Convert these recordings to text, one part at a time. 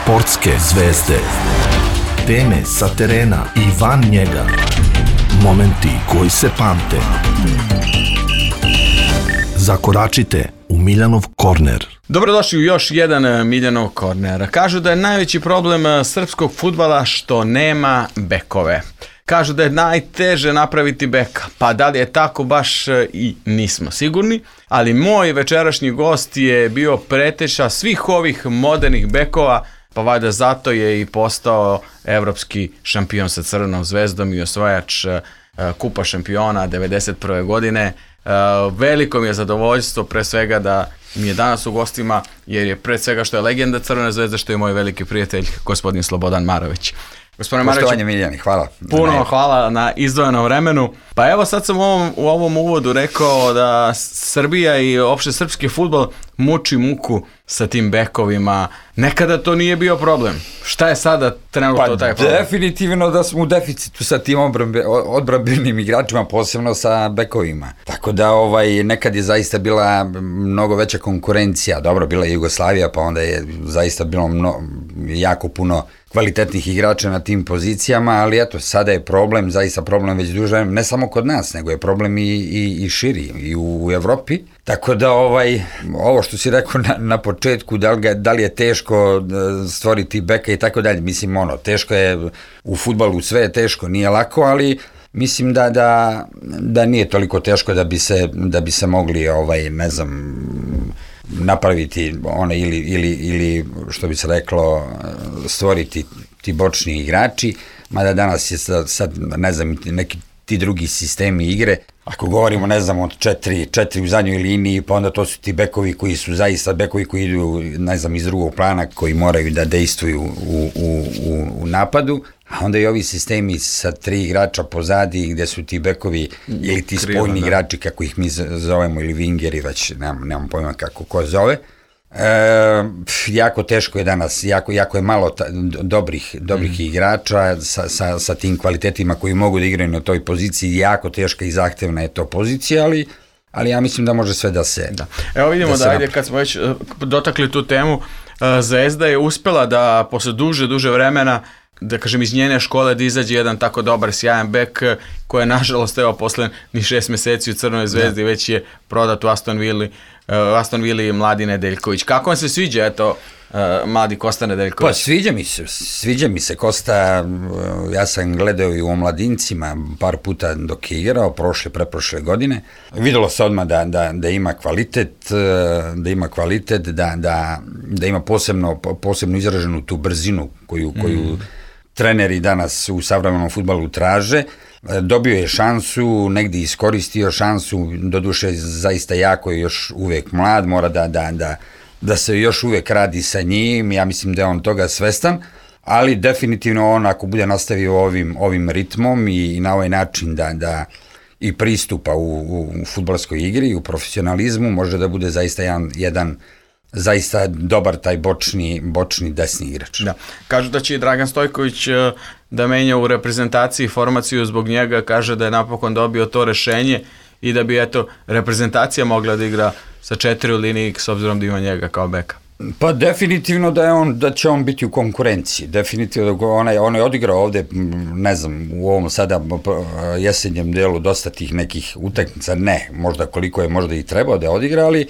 Sportske zvezde. Teme sa terena i van njega. Momenti koji se pamte. Zakoračite u Miljanov korner. Dobrodošli u još jedan Miljanov korner. Kažu da je najveći problem srpskog fudbala što nema bekove. Kažu da je najteže napraviti beka, pa da li je tako baš i nismo sigurni, ali moj večerašnji gost je bio preteča svih ovih modernih bekova, pa valjda zato je i postao evropski šampion sa Crvenom zvezdom i osvajač kupa šampiona 1991. godine. Veliko mi je zadovoljstvo pre svega da mi je danas u gostima, jer je pre svega što je legenda Crvene zvezde, što je moj veliki prijatelj, gospodin Slobodan Marović. Poštovanje Miljani, hvala. Puno hvala na izdvojenom vremenu. Pa evo sad sam u ovom uvodu rekao da Srbija i opšte srpski fudbal muči muku sa tim bekovima. Nekada to nije bio problem. Šta je sada trenutno taj problem? Definitivno da smo u deficitu sa tim odbrambenim igračima, posebno sa bekovima. Tako da nekad je zaista bila mnogo veća konkurencija. Dobro, bila je Jugoslavija, pa onda je zaista bilo jako puno kvalitetnih igrača na tim pozicijama, ali eto, sada je problem, zaista problem već duže, ne samo kod nas, nego je problem i širi, i u Evropi. Tako da ovo što si rekao na početku, da li je teško stvoriti beka i tako dalje, mislim teško je u fudbalu, sve je teško, nije lako, ali mislim da nije toliko teško da bi se mogli, ne znam, napraviti ili što bi se reklo, stvoriti ti bočni igrači, mada danas je sad, ne znam, neki ti drugi sistemi igre. Ako govorimo, ne znam, od četiri u zadnjoj liniji, pa onda to su ti bekovi koji su zaista bekovi koji idu, ne znam, iz drugog plana, koji moraju da dejstvuju u napadu, a onda i ovi sistemi sa 3 igrača pozadi, gde su ti bekovi ili ti spoljni igrači, kako ih mi zovemo, ili wingeri, već nemam pojma ko zove. Jako teško je danas, jako je malo dobrih igrača sa tim kvalitetima koji mogu da igraju na toj poziciji. Jako teška i zahtevna je to pozicija, ali ja mislim da može sve da se... Da. Evo vidimo da ajde, kad smo već dotakli tu temu, Zvezda je uspela da posle duže vremena, da kažem, iz njene škole da izađe jedan tako dobar, sjajan bek koji je nažalost posle ni 6 meseci u Crvenoj zvezdi već je prodat u Aston Villa Mladi Nedeljković. Kako vam se sviđa mladi Kosta Nedeljković? Pa sviđa mi se Kosta, ja sam gledao i u omladincima par puta dok je igrao, preprošle godine. Videlo se odmah da ima kvalitet, da ima posebno izraženu tu brzinu koju treneri danas u savremenom fudbalu traže. Dobio je šansu, negdje iskoristio šansu, doduše zaista jako je još uvek mlad, mora da se još uvek radi sa njim, ja mislim da je on toga svestan, ali definitivno on ako bude nastavio ovim ritmom i na ovaj način da i pristupa u fudbalskoj igri, u profesionalizmu, može da bude zaista jedan zaista dobar taj bočni desni igrač. Da. Kažu da će i Dragan Stojković da menja u reprezentaciji formaciju zbog njega, kaže da je napokon dobio to rešenje i da bi reprezentacija mogla da igra sa 4 u liniji s obzirom da ima njega kao beka. Pa definitivno da će on biti u konkurenciji, definitivno on je odigrao ovde, ne znam, u ovom sada jesenjem delu dosta tih nekih utakmica, ne, možda koliko je možda i trebao da odigra, ali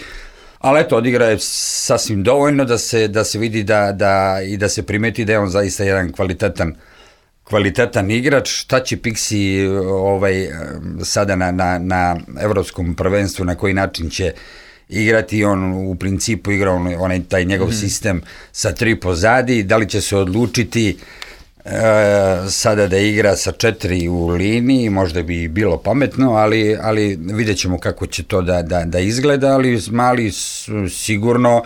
eto, odigra je sasvim dovoljno da se vidi i da se primeti da je on zaista jedan kvalitetan igrač. Šta će Pixi sada na evropskom prvenstvu, na koji način će igrati, on u principu igra taj njegov sistem sa 3 pozadi, da li će se odlučiti sada da igra sa 4 u liniji, možda bi bilo pametno, ali vidjet ćemo kako će to da izgleda, ali mali sigurno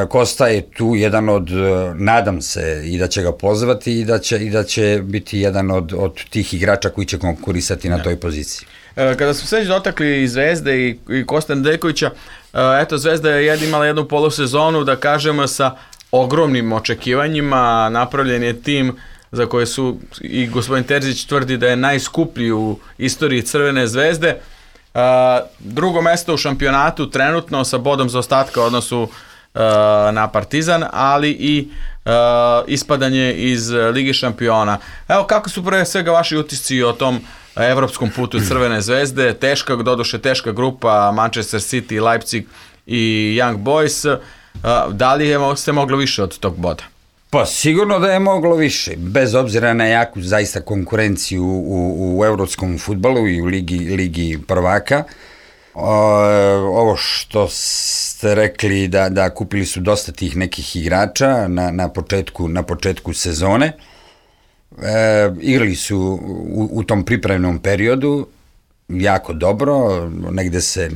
Kosta je tu jedan od, nadam se i da će ga pozvati i da će biti jedan od tih igrača koji će konkurisati na toj poziciji. Kada smo sve dotakli i Zvezde i Kosta Nedeljkovića, Zvezda je imala jednu polusezonu, da kažemo, sa ogromnim očekivanjima. Napravljen je tim za koje su i gospodin Terzić tvrdi da je najskuplji u istoriji Crvene zvezde. Drugo mesto u šampionatu trenutno sa bodom zaostatka u odnosu na Partizan, ali i ispadanje iz Lige šampiona. Evo, kako su pre svega vaši utisci o tom evropskom putu Crvene zvezde? Teška grupa, Manchester City, Leipzig i Young Boys. Da li ste moglo više od tog boda? Pa sigurno da je moglo više, bez obzira na jaku zaista konkurenciju u evropskom fudbalu i u ligi prvaka. Ovo što ste rekli da kupili su dosta tih nekih igrača na početku sezone. Igrali su u tom pripremnom periodu jako dobro, negde se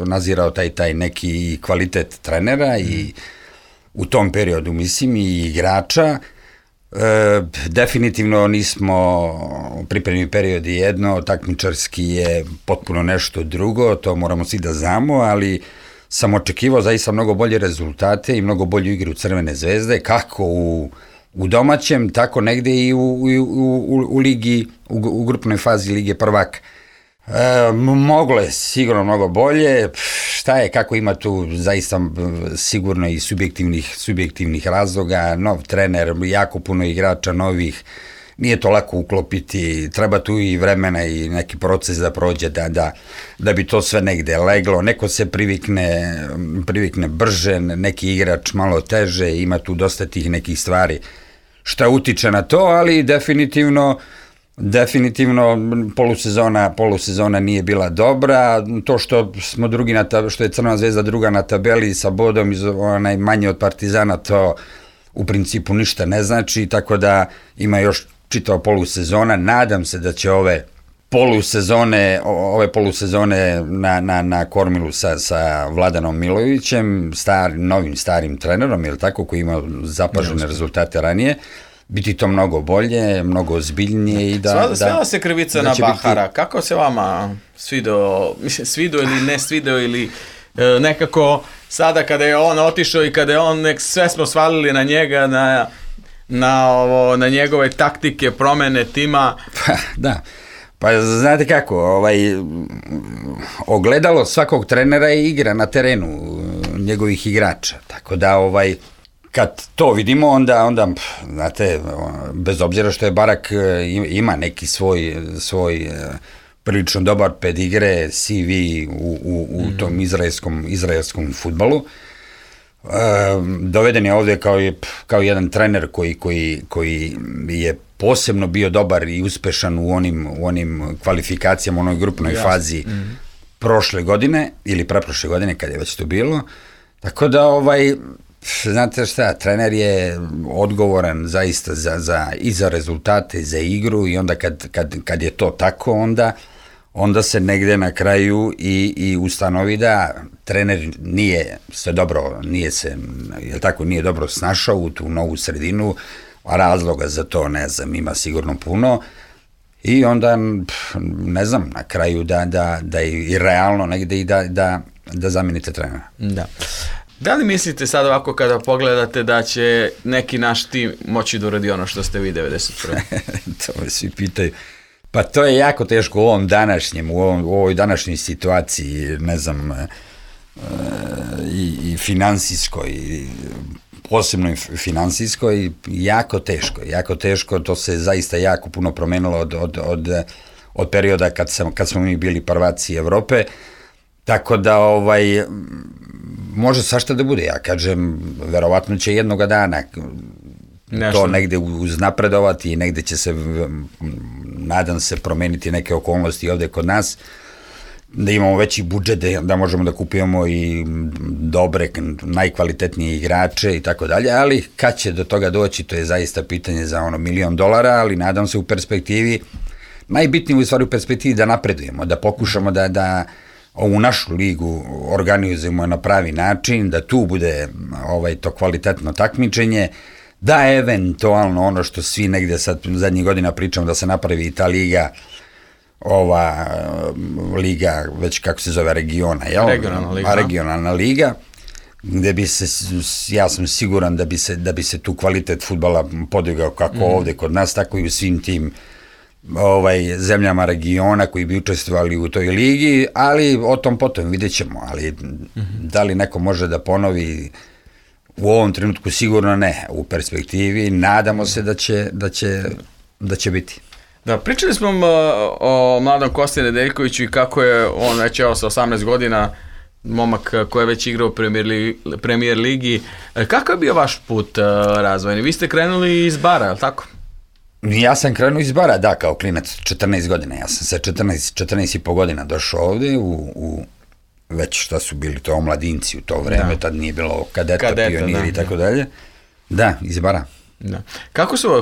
nazirao taj neki kvalitet trenera i u tom periodu mislim i igrača. Definitivno nismo, pripremni period je jedno, takmičarski je potpuno nešto drugo, to moramo svi da znamo, ali sam očekivao zaista mnogo bolje rezultate i mnogo bolju igru Crvene zvezde, kako u domaćem, tako negde i u ligi, u grupnoj fazi Lige prvaka. Moglo je sigurno mnogo bolje, šta je, kako ima tu zaista sigurno i subjektivnih razloga, nov trener, jako puno igrača novih, nije to lako uklopiti, treba tu i vremena i neki proces da prođe da bi to sve negde leglo, neko se privikne brže, neki igrač malo teže, ima tu dosta tih nekih stvari šta utiče na to, ali definitivno polusezona nije bila dobra, to što smo što je Crvena zvezda druga na tabeli sa bodom manje od Partizana, to u principu ništa ne znači, tako da ima još čitava polusezona. Nadam se da će ove polusezone na kormilu sa Vladanom Milojevićem, novim starim trenerom, je li tako, koji ima zapažene rezultate ranije, biti to mnogo bolje, mnogo ozbiljnije i Svela se krivica na Bahara. Kako se vama svideo ili ne svideo ili nekako sada kada je on otišao i kada je on, sve smo svalili na njega, na njegove taktike, promene tima? Da. Pa znate kako, ogledalo svakog trenera je igra na terenu njegovih igrača, tako da kad to vidimo, onda znate, bez obzira što je Barak ima neki svoj prilično dobar pedigre, CV u tom izraelskom fudbalu, doveden je ovde kao jedan trener koji je posebno bio dobar i uspešan u onim kvalifikacijama, u onoj grupnoj fazi prošle godine ili preprošle godine, kad je već to bilo, tako da znate šta, trener je odgovoran zaista i za rezultate, za igru, i onda kad je to tako, onda se negde na kraju i ustanovi da trener nije dobro snašao u tu novu sredinu, a razloga za to ne znam, ima sigurno puno, i onda ne znam, na kraju da je i realno negde i da zamenite trenera. Da li mislite sad ovako kada pogledate da će neki naš tim moći da uradi ono što ste vi 91. To me svi pitaju. Pa to je jako teško u ovoj današnjoj situaciji, ne znam, i finansijskoj, posebno finansijskoj, jako teško, to se zaista jako puno promenilo od perioda kad smo mi bili prvaci Evrope, tako da može svašta da bude, ja kažem, verovatno će jednoga dana to negde uznapredovati i negde će se, nadam se, promeniti neke okolnosti ovde kod nas, da imamo veći budžet, da možemo da kupujemo i dobre, najkvalitetnije igrače i tako dalje, ali kad će do toga doći, to je zaista pitanje za $1 milion, ali nadam se u perspektivi, najbitnije u stvari u perspektivi da napredujemo, da pokušamo da ovu našu ligu organizujemo na pravi način, da tu bude to kvalitetno takmičenje, da eventualno ono što svi negde sad zadnjih godina pričamo, da se napravi i ta liga, liga, već kako se zove, regiona, regionalna liga, gde bi se, ja sam siguran da bi se tu kvalitet fudbala podigao kako ovde kod nas, tako i u svim tim zemljama regiona koji bi učestvovali u toj ligi, ali o tom potom vidjet ćemo, ali da li neko može da ponovi u ovom trenutku sigurno ne, u perspektivi nadamo se da će biti. Da, pričali smo o mladom Kosti Nedeljkoviću i kako je on već sa 18 godina momak koji je već igrao u Premier ligi. Kako je bio vaš put razvojni? Vi ste krenuli iz Bara, je li tako? Ja sam krenuo iz Bara, da, kao klinac, 14 godina. Ja sam sa 14,5 godina došao ovde u već šta su bili to omladinci u to vreme, tad nije bilo kadeta pioniri i tako dalje. Da, iz Bara. Da.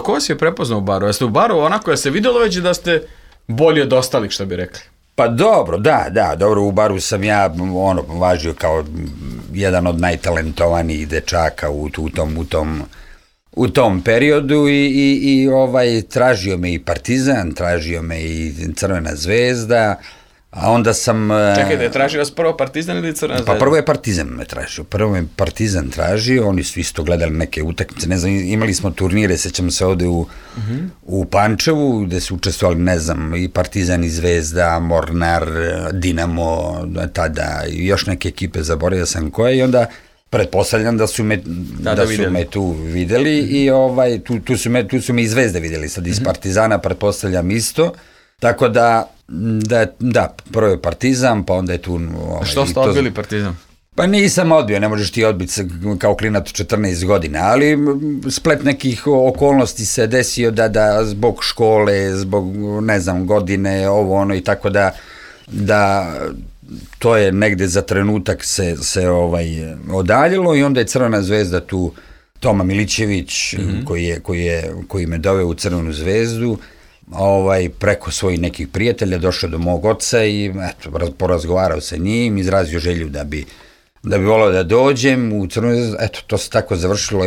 Ko vas je prepoznao u Baru? Jeste u Baru onako da se vidjelo već da ste bolji od ostalih, što bi rekli? Pa dobro, dobro, u Baru sam ja važio kao jedan od najtalentovanijih dečaka u tom periodu i tražio me i Partizan, tražio me i Crvena zvezda, a onda sam... Čekaj, da je tražio vas prvo Partizan ili Crvena zvezda? Pa prvo je Partizan me tražio, oni su isto gledali neke utakmice, ne znam, imali smo turnire, sećam se ovde u Pančevu, gde su učestvovali, ne znam, i Partizan i Zvezda, Mornar, Dinamo, tada i još neke ekipe, zaboravio sam koje, i onda pretpostavljam da su me tu videli i tu su me i Zvezde videli, sad iz Partizana pretpostavljam isto, tako da prvo je Partizan, pa onda je tu... Što ste odbili Partizan? Pa nisam odbio, ne možeš ti odbiti kao klinac 14 godina, ali splet nekih okolnosti se desio da zbog škole, zbog, ne znam, godine, ovo ono i tako da to je negde za trenutak se odaljilo i onda je Crvena zvezda tu, Toma Milićević koji me doveo u Crvenu zvezdu, preko svojih nekih prijatelja došao do mog oca i porazgovarao sa njim, izrazio želju da bi volao da dođem u Crvenu zvezdu, to se tako završilo.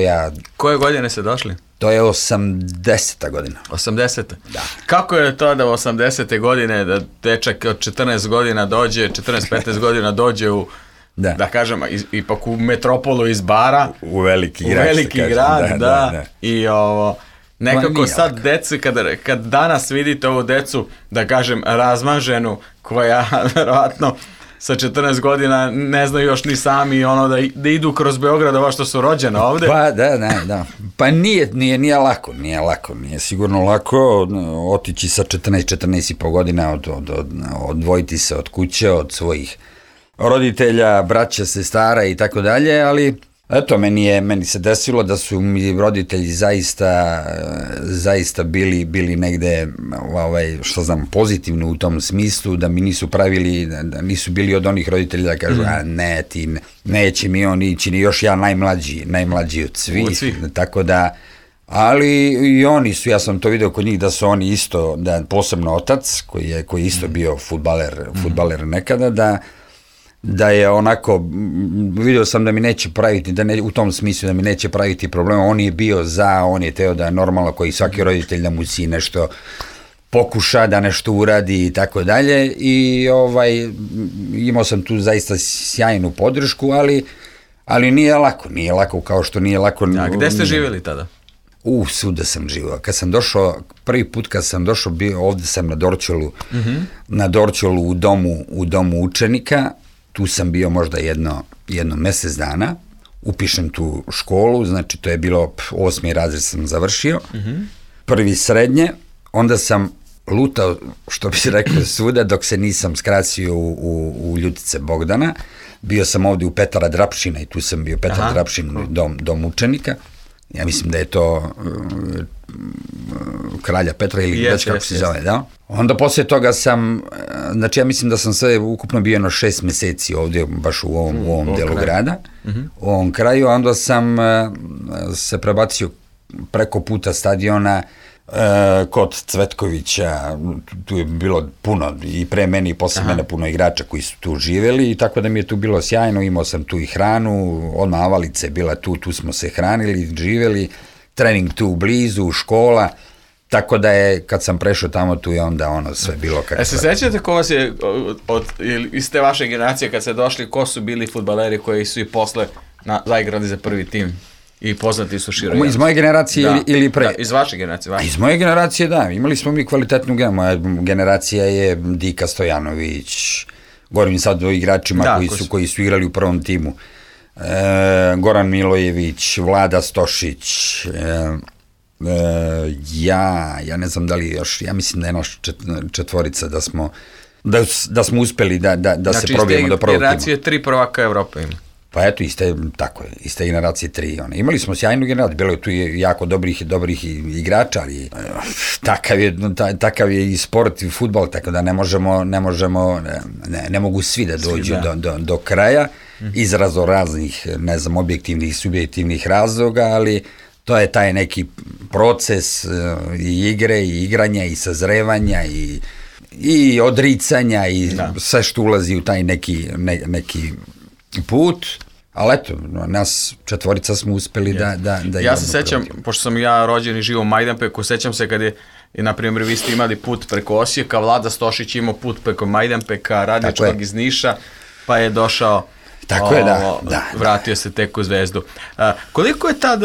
Koje godine ste došli? To je 80. godina. 80. Da. Kako je to da u 80. godine, da dečak od 14 godina dođe, 14-15 godina dođe u, da kažem, ipak u metropolu iz Bara. U veliki grad, da. I nekako sad decu, kad danas vidite ovu decu, da kažem, razmaženu, koja verovatno sa 14 godina ne znaju još ni sami da idu kroz Beograd ovo što su rođene ovde. Pa da. Pa nije lako, nije sigurno lako otići sa 14,5 godina, odvojiti se od kuće, od svojih roditelja, braća, sestara i tako dalje, ali eto, meni se desilo da su mi roditelji zaista bili negde, što znam, pozitivno u tom smislu, da mi nisu pravili, da nisu bili od onih roditelja da kažu, ne, ti neće mi on ići, ni još ja najmlađi od svih, tako da, ali i oni su, ja sam to vidio kod njih da su oni isto, da posebno otac, koji je isto bio fudbaler nekada, da je onako, vidio sam da mi neće praviti, u tom smislu da mi neće praviti problema, on je bio on je teo da normalno koji svaki roditelj da mu si nešto pokuša, da nešto uradi i tako dalje i imao sam tu zaista sjajnu podršku, ali nije lako kao što nije lako. A gde ste živjeli tada? Svuda sam živio. Prvi put kad sam došao, ovde sam na Dorćolu u domu učenika, tu sam bio možda jedno mesec dana, upišem tu školu, znači to je bilo 8. razred sam završio, prvi srednje, onda sam lutao, što bi se rekao, svuda, dok se nisam skrasio u Ljutice Bogdana, bio sam ovde u Petra Drapšina i tu sam bio Petar Drapšin, dom učenika, ja mislim da je to Kralja Petra ili već kako se zove, da? Onda poslije toga sam, znači ja mislim da sam sve ukupno bio 6 meseci ovdje, baš u ovom delu grada, u ovom kraju, a onda sam se prebacio preko puta stadiona kod Cvetkovića, tu je bilo puno i pre mene i posle mene puno igrača koji su tu živeli i tako da mi je tu bilo sjajno, imao sam tu i hranu, odmah avalica je bila tu smo se hranili, živeli, trening tu blizu, škola, tako da je, kad sam prešao tamo, tu je onda sve bilo kako. Se sećate ko vas je, iz te vaše generacije kad ste došli, ko su bili fudbaleri koji su i posle zaigrali za prvi tim? i poznati su široj. Iz moje generacije ili pre? Da, iz vaše generacije. Iz moje generacije, da. Imali smo mi kvalitetnu moja generacija je Dika Stojanović, govorim sad o igračima koji su igrali u prvom timu. Goran Milojević, Vlada Stošić, ja ne znam da li još, ja mislim da je naš četvorica da smo uspeli da se probijemo do prvog tima. Znači, generacije 3 prvaka Evrope ima. Pa eto, iste generacije 3. Imali smo sjajnu generaciju, bilo je tu jako dobrih igrača, ali takav je i sport i fudbal, tako da ne mogu svi da dođu do kraja iz raznih, ne znam, objektivnih i subjektivnih razloga, ali to je taj neki proces i igre i igranja i sazrevanja i odricanja i sve što ulazi u taj neki put, ali eto, nas četvorica smo uspeli da ja se sećam, pošto sam ja rođen i živo u Majdanpeku, sećam se kad je, na primjer, vi ste imali put preko Osijeka, Vlada Stošić imao put preko Majdanpeka, radio čovjek iz Niša, pa je došao, vratio se tek u Zvezdu. Koliko je tad,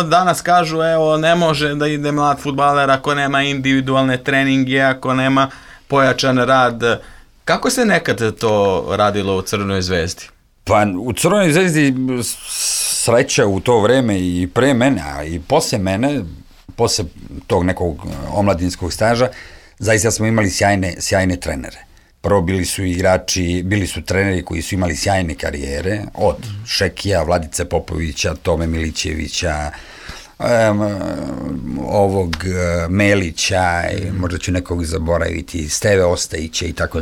danas kažu, ne može da ide mlad fudbaler ako nema individualne treninge, ako nema pojačan rad. Kako se nekad to radilo u Crvenoj Zvezdi? Pa u Crvenoj Zvezdi sreća u to vreme i pre mene, a i posle mene, posle tog nekog omladinskog staža, zaista smo imali sjajne trenere. Prvo bili su treneri koji su imali sjajne karijere, od Šekija, Vladice Popovića, Tome Milićevića, Melića, možda ću nekog zaboraviti, Steve Ostajića i tako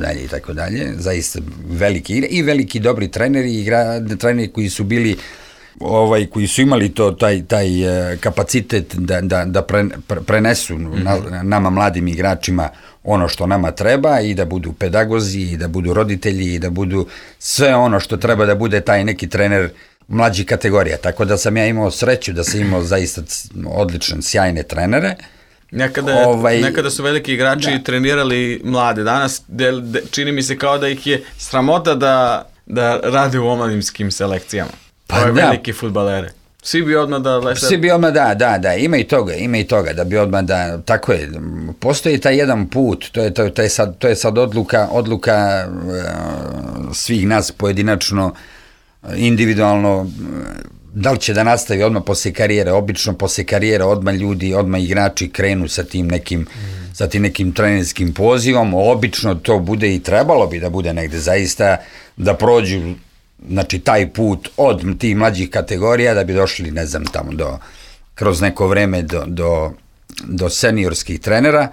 dalje, zaista veliki dobri treneri, treneri koji su bili, koji su imali taj kapacitet da prenesu nama mladim igračima ono što nama treba i da budu pedagozi i da budu roditelji i da budu sve ono što treba da bude taj neki trener mlađih kategorija, tako da sam ja imao sreću da sam imao zaista odlične, sjajne trenere. Nekada su veliki igrači trenirali mlade, danas čini mi se kao da ih je sramota da rade u omladinskim selekcijama. Ove veliki fudbalere. Svi bi odmah ima i toga, da bi odmah tako je, postoji taj jedan put, to je sad odluka svih nas pojedinačno, individualno, da li će da nastavi odmah posle karijere. Obično posle karijere odmah igrači krenu sa tim nekim trenerskim pozivom, obično to bude i trebalo bi da bude negde zaista da prođu, znači taj put od tih mlađih kategorija da bi došli, ne znam, tamo kroz neko vreme do seniorskih trenera.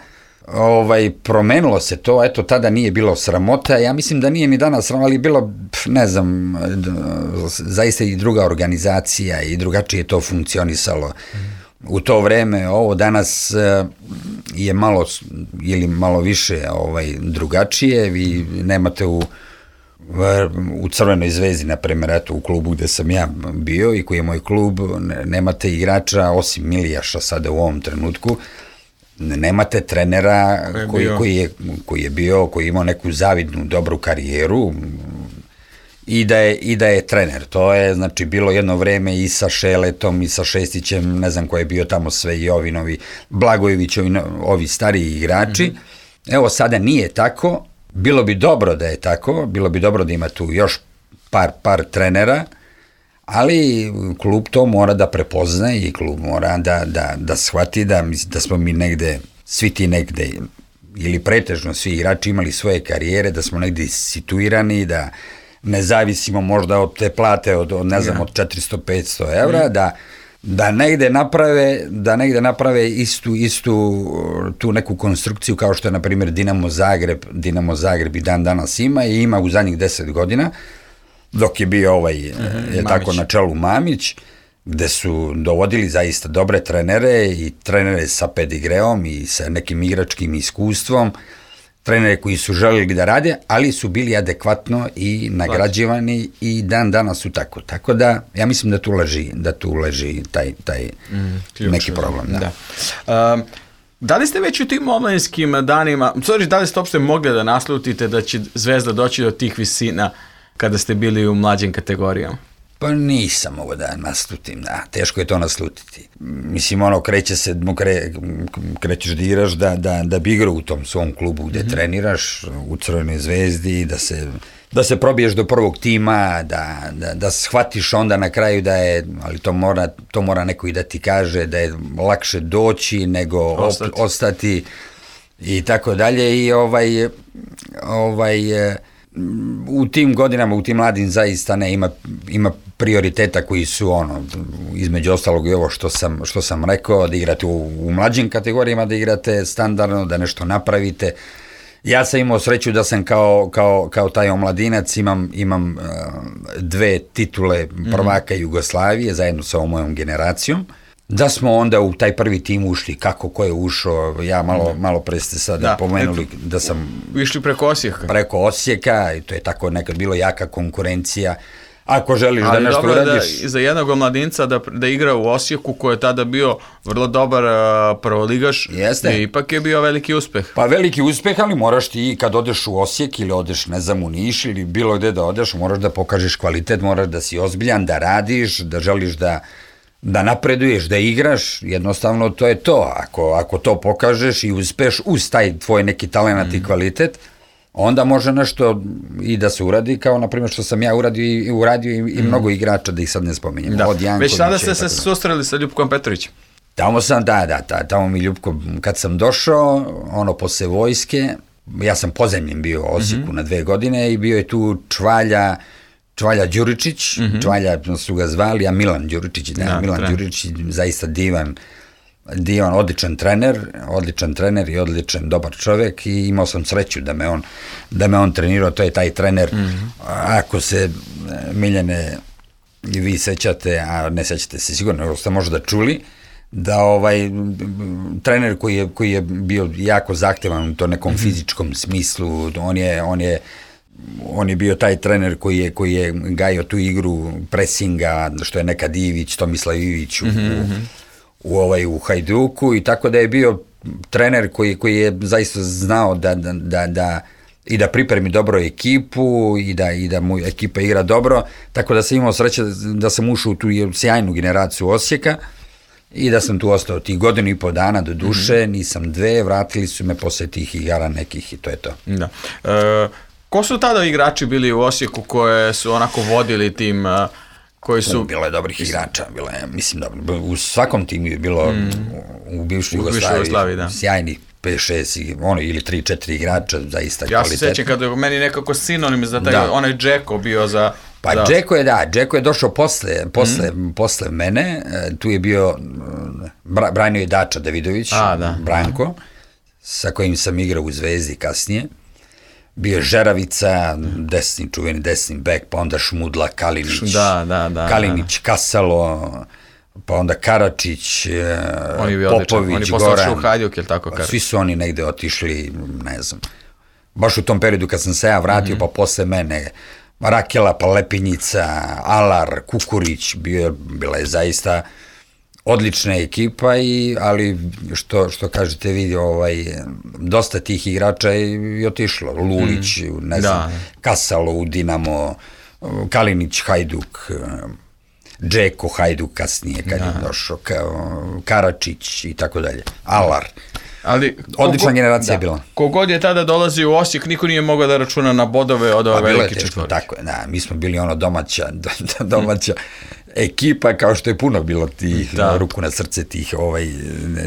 Promenilo se to, eto, tada nije bilo sramota, ja mislim da nije ni danas sramota, ali bilo, ne znam, zaista i druga organizacija i drugačije to funkcionisalo. U to vreme, ovo danas je malo ili malo više drugačije, vi nemate u Crvenoj Zvezdi, na primjer, eto, u klubu gde sam ja bio i koji je moj klub, nemate igrača, osim Milijaša sada u ovom trenutku, nemate trenera koji je bio, koji je imao neku zavidnu, dobru karijeru i da je trener. To je, znači, bilo jedno vreme i sa Šeletom i sa Šestićem, ne znam ko je bio tamo sve, i ovi Blagojevićovi, ovi stariji igrači. Evo, sada nije tako. Bilo bi dobro da je tako, bilo bi dobro da ima tu još par trenera, ali klub to mora da prepozna i klub mora da shvati da smo mi negde, svi ti negde, ili pretežno svi igrači imali svoje karijere, da smo negde situirani, da ne zavisimo možda od te plate od ne znam, od 400-500 evra, da negde naprave istu tu neku konstrukciju kao što je, na primjer, Dinamo Zagreb i dan danas ima u zadnjih 10 godina, dok je bio tako na čelu Mamić, gde su dovodili zaista dobre trenere i trenere sa pedigreom i sa nekim igračkim iskustvom, trenere koji su želeli da rade, ali su bili adekvatno i nagrađivani i dan danas su tako. Tako da, ja mislim da tu leži taj neki problem. Da li ste već u tim omladinskim danima, da li ste uopšte mogli da naslutite da će Zvezda doći do tih visina kada ste bili u mlađim kategorijama? Pa nisam mogao da naslutim, da, teško je to naslutiti. Mislim, krećeš da igraš da bi igrao u tom svom klubu gde treniraš, u Crvenoj Zvezdi, da se probiješ do prvog tima, da shvatiš onda na kraju da je, ali to mora neko i da ti kaže, da je lakše doći nego ostati i tako dalje. I u tim godinama, u tim mladim zaista ima prioriteta koji su između ostalog i ovo što sam rekao, da igrate u mlađim kategorijama, da igrate standardno, da nešto napravite. Ja sam imao sreću da sam kao taj omladinac imam 2 titule prvaka Jugoslavije zajedno sa ovom mojom generacijom. Da smo onda u taj prvi tim ušli, ko je ušao, ja malo pre ste sada pomenuli da sam... Išli preko Osijeka. Preko Osijeka, i to je tako nekad bilo jaka konkurencija. Ako želiš da nešto uradiš... Ali dobro je za jednog omladinca da igra u Osijeku, koji je tada bio vrlo dobar prvoligaš, i ipak je bio veliki uspeh. Pa veliki uspeh, ali moraš ti kad odeš u Osijek ili odeš, ne znam, u Niš ili bilo gde da odeš, moraš da pokažeš kvalitet, moraš da si ozbiljan, da radiš, da želiš da napreduješ, da igraš, jednostavno to je to. Ako to pokažeš i uspeš uz taj tvoj neki talent i kvalitet, onda može nešto i da se uradi, kao na primjer što sam ja uradio i mnogo igrača, da ih sad ne spominjem. Da. Već tada ste se susreli sa Ljupkom Petrovićem? Tamo sam, tamo mi Ljupko, kad sam došao, posle vojske, ja sam pozemljen bio u Osijeku na 2 godine i bio je tu Čvalja Đuričić, Čvalja su ga zvali, a Milan Đuričić, Đuričić, zaista divan, odličan trener i odličan dobar čovjek, i imao sam sreću da me on trenirao. To je taj trener, ako se, Miljane, i vi sećate, a ne sećate se sigurno, jer ste možda čuli, da trener koji je bio jako zahtevan u to nekom fizičkom smislu, on je bio taj trener koji je gajio tu igru presinga, što je nekad Ivić, Tomislav Ivić u Hajduku, i tako da je bio trener koji je zaista znao da pripremi dobro ekipu i da mu ekipa igra dobro, tako da sam imao sreće da sam ušao u tu sjajnu generaciju Osijeka i da sam tu ostao tih 1,5 dana, do duše, nisam 2, vratili su me posle tih igara nekih i to je to. Da. Ko su tada igrači bili u Osijeku koje su onako vodili tim, koji su... Bilo je dobrih igrača, mislim dobro, u svakom timu je bilo u bivšoj Jugoslaviji sjajnih 5-6 ili 3-4 igrača, zaista kvalitetno. Ja se sećam kada je meni nekako sinonim za taj, onaj Džeko bio za... Pa Džeko je došao posle mene, tu je bio, branio je Dača Davidović, Branko, sa kojim sam igrao u Zvezdi kasnije. Bio je Žeravica, čuveni desni bek, pa onda Šmudla, Kalinić, Kalinić, Kasalo, pa onda Karačić, Popović, Goran. Svi su oni negde otišli, ne znam. Baš u tom periodu kad sam se ja vratio, pa posle mene Rakela, pa Lepinjica, Alar, Kukurić, bila je zaista odlična ekipa, ali što kažete vi, dosta tih igrača je otišlo. Lulić, ne znam, Kasalo u Dinamo, Kalinić, Hajduk, Džeko, Hajduk kasnije kad je došao, Karačić i tako dalje, Alar. Odlična generacija je bila. Kogod je tada dolazio u Osijek, niko nije mogao da računa na bodove od ove velike četvorke. Tako je, mi smo bili domaća ekipa, kao što je puno bilo tih, ruku na srce tih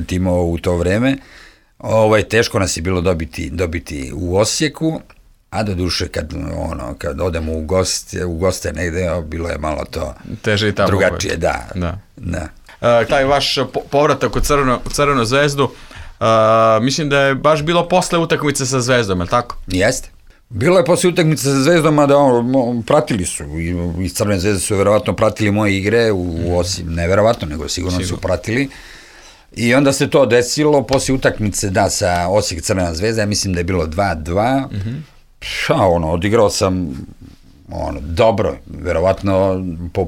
timova u to vreme. Teško nas je bilo dobiti u Osijeku, a do duše kad odemo u goste negde, bilo je malo to drugačije. Taj vaš povratak u Crvenu Zvezdu, mislim da je baš bilo posle utakmice sa Zvezdom, je li tako? Jeste. Bilo je posle utakmice sa Zvezdom, a da pratili su, iz Crvene Zvezde su verovatno pratili moje igre, ne verovatno, nego sigurno su pratili. I onda se to desilo, posle utakmice, sa Osijek Crvena Zvezda, ja mislim da je bilo 2-2, odigrao sam dobro, verovatno po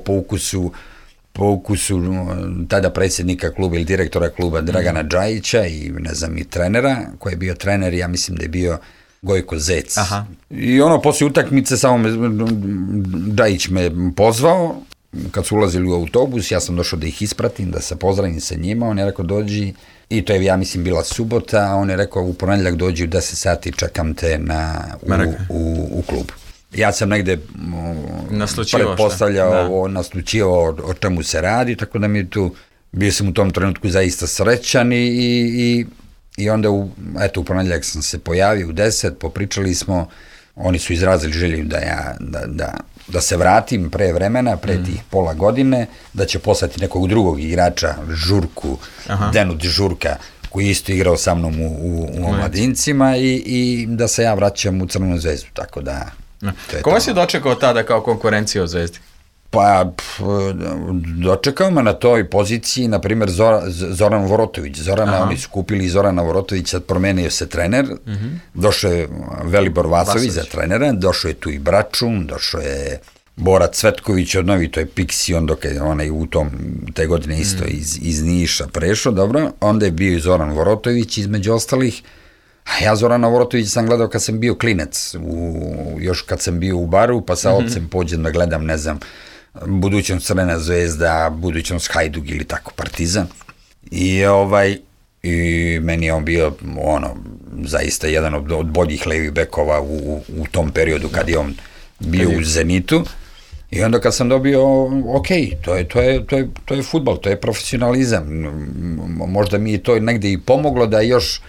ukusu tada predsjednika kluba ili direktora kluba Dragana Džajića i ne znam i trenera, koji je bio trener, ja mislim da je bio Gojko Zec. I poslije utakmice samo Džajić me pozvao kad su ulazili u autobus, ja sam došao da ih ispratim, da se pozdravim sa njima, on je rekao dođi, i to je, ja mislim, bila subota, a on je rekao u ponedjeljak dođi u 10 sati, čekam te u klubu. Ja sam negde pretpostavljao, naslučivao o čemu se radi, tako da mi je tu, bio sam u tom trenutku zaista srećan i onda u ponedjeljak sam se pojavio u 10, popričali smo, oni su izrazili želju da se vratim pre vremena, pre tih pola godine, da će poslati nekog drugog igrača, Žurku, Denut Žurka, koji je isto igrao sa mnom u omladincima i da se ja vraćam u Crvenu zvezdu, tako da... Koga si dočekao tada kao konkurencija od Zvezdi? Pa, dočekao me na toj poziciji, na primjer, Zoran Vorotović. Oni su kupili Zorana Vorotovića, promenio se trener, došao je Velibor Vasović za trenera, došao je tu i Bračun, došao je Bora Cvetković od Novi, to je Pixi, dok je onaj u te godine isto iz Niša prešao, dobro, onda je bio i Zoran Vorotović između ostalih. A ja Zorana Vorotovića sam gledao kad sam bio klinac, još kad sam bio u Baru, pa sa ocem pođem da gledam, ne znam, budućnost Crvena zvezda, budućnost Hajduk ili tako Partizan. I meni je on bio zaista jedan od boljih levih bekova u tom periodu kad je on bio u Zenitu. I onda kad sam dobio, ok, to je fudbal, to je profesionalizam. Možda mi je to negde i pomoglo da još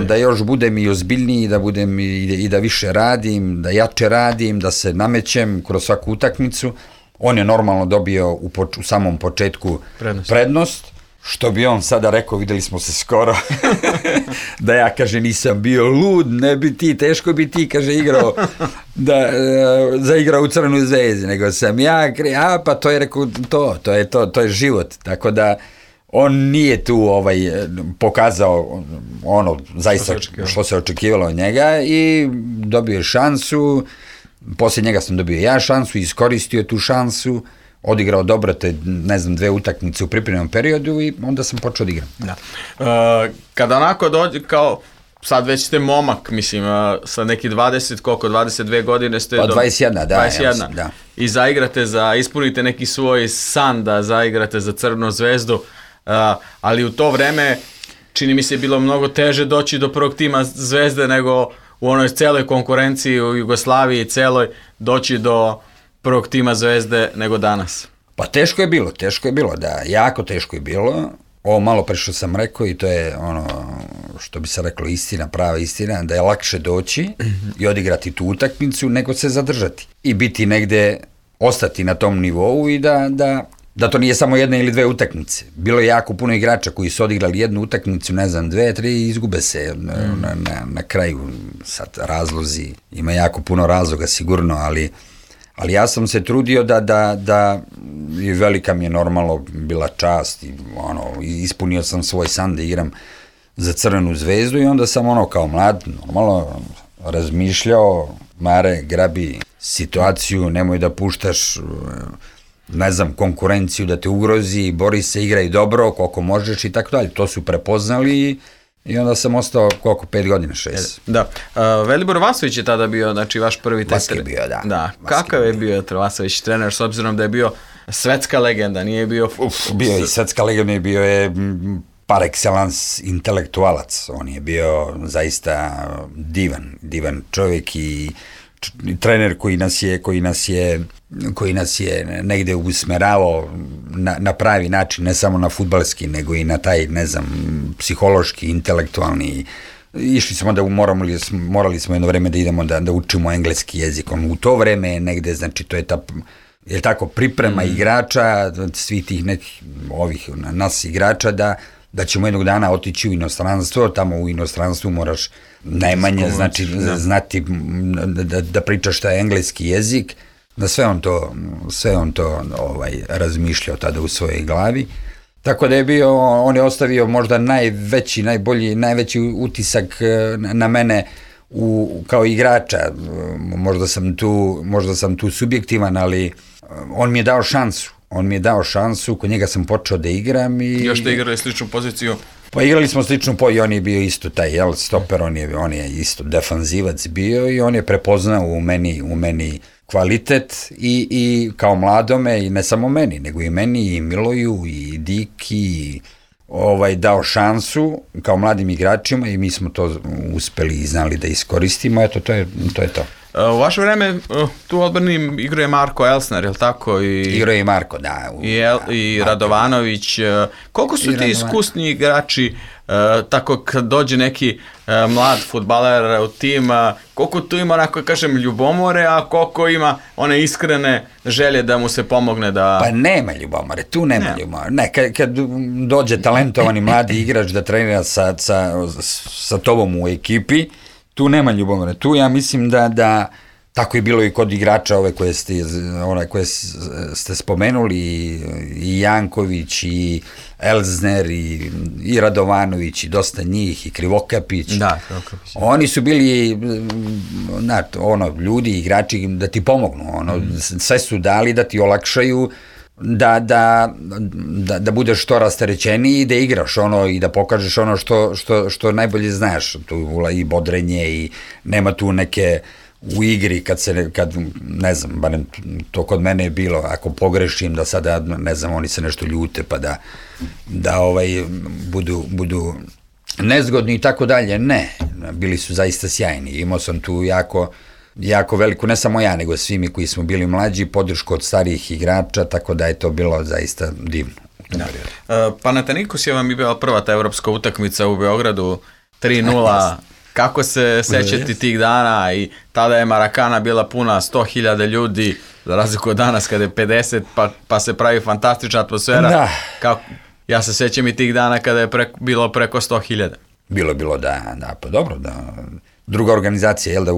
da još budem i ozbiljniji, da budem i da više radim, da jače radim, da se namećem kroz svaku utakmicu. On je normalno dobio u samom početku prednost, što bi on sada rekao, videli smo se skoro, da ja, kaže, nisam bio lud, ne bi ti, teško bi ti, kaže, igrao, zaigrao u Crvenoj zvezdi, nego sam ja, pa to je, rekao, to je život, tako da on nije tu pokazao zaista što se očekivalo od njega i dobio je šansu, poslije njega sam dobio ja šansu, iskoristio tu šansu, odigrao dobro te, ne znam, 2 utakmice u pripremnom periodu i onda sam počeo da igram. Da. Kada onako dođe, kao, sad već ste momak, mislim, sa neki 22 godine ste... Pa 21, da. 21. Da. I ispunite neki svoj san da zaigrate za Crvenu zvezdu, ali u to vreme čini mi se bilo mnogo teže doći do prvog tima Zvezde nego u onoj celoj konkurenciji u Jugoslaviji celoj doći do prvog tima Zvezde nego danas. Pa teško je bilo, da, jako teško je bilo. Ovo malo pre što sam rekao i to je što bi se reklo istina, prava istina, da je lakše doći i odigrati tu utakmicu nego se zadržati i biti negde, ostati na tom nivou i da to nije samo 1 ili 2 utakmice. Bilo je jako puno igrača koji su odigrali 1 utakmicu, ne znam, 2, 3 i izgube se na kraju. Sad razlozi, ima jako puno razloga sigurno, ali ja sam se trudio da i velika mi je normalno bila čast i ispunio sam svoj san da igram za Crvenu zvezdu i onda sam kao mlad normalno razmišljao, Mare, grabi situaciju, nemoj da puštaš, ne znam, konkurenciju da te ugrozi, bori se, igraj dobro, koliko možeš i tako dalje. To su prepoznali i onda sam ostao 5 godina, 6. Da. Velibor Vasović je tada bio, znači, vaš prvi trener. Vaski je bio, da. Kakav je bio Vasović trener, s obzirom da je bio svetska legenda, nije bio... Bio je svetska legenda, bio je par excellence intelektualac. On je bio zaista divan čovjek i trener koji nas je negde usmeravao na pravi način, ne samo na fudbalski, nego i na taj, ne znam, psihološki, intelektualni. Išli smo da morali smo jedno vreme da idemo da učimo engleski jezik. U to vreme negde, znači, to je ta, je tako, priprema igrača, svih tih nekih nas igrača, da ćemo jednog dana otići u inostranstvo, tamo u inostranstvu moraš najmanje znati da pričaš taj engleski jezik, da sve on to razmišljao tada u svojoj glavi. Tako da on je ostavio možda najveći utisak na mene kao igrača. Možda sam tu subjektivan, ali on mi je dao šansu. Kod njega sam počeo da igram i... Još ste igrali sličnu poziciju Pa igrali smo slično i on je bio isto taj stoper, on je isto defanzivac bio i on je prepoznao u meni kvalitet i kao mladome i ne samo meni, nego i meni i Miloju i Diki dao šansu kao mladim igračima i mi smo to uspeli i znali da iskoristimo, eto to je to. U vaše vreme tu odbrani igruje Marko Elsner, je li tako? Igruje i Marko, da. I Radovanović. Koliko su ti iskusni igrači, tako kad dođe neki mlad fudbaler u tim, koliko tu ima, onako kažem, ljubomore, a koliko ima one iskrene želje da mu se pomogne da... Pa nema ljubomore, tu nema ljubomore. Ne, kad dođe talentovani mladi igrač da trenira sa tobom u ekipi, tu nema ljubomore. Tu ja mislim da tako je bilo i kod igrača koje ste spomenuli, i Janković, i Elzner, i Radovanović, i dosta njih, i Krivokapić. Da, Krivokapić. Oni su bili ljudi, igrači da ti pomognu. Sve su dali da ti olakšaju da budeš što rasterećeniji i da igraš i da pokažeš ono što najbolje znaš, tu i bodrenje i nema tu neke u igri kad ne znam, barem to kod mene je bilo, ako pogrešim da sada, ne znam, oni se nešto ljute pa da budu nezgodni i tako dalje, ne, bili su zaista sjajni, imao sam tu jako veliku, ne samo ja, nego svi mi koji smo bili mlađi, podršku od starijih igrača, tako da je to bilo zaista divno. Panathinaikos je vam i bila prva ta evropska utakmica u Beogradu, 3-0, kako se sećati tih dana, i tada je Marakana bila puna 100.000 ljudi, za razliku od danas kada je 50, pa se pravi fantastična atmosfera. Da. Ja se sećam i tih dana kada je bilo preko 100.000. Bilo, da, pa dobro, da. Druga organizacija, jel da,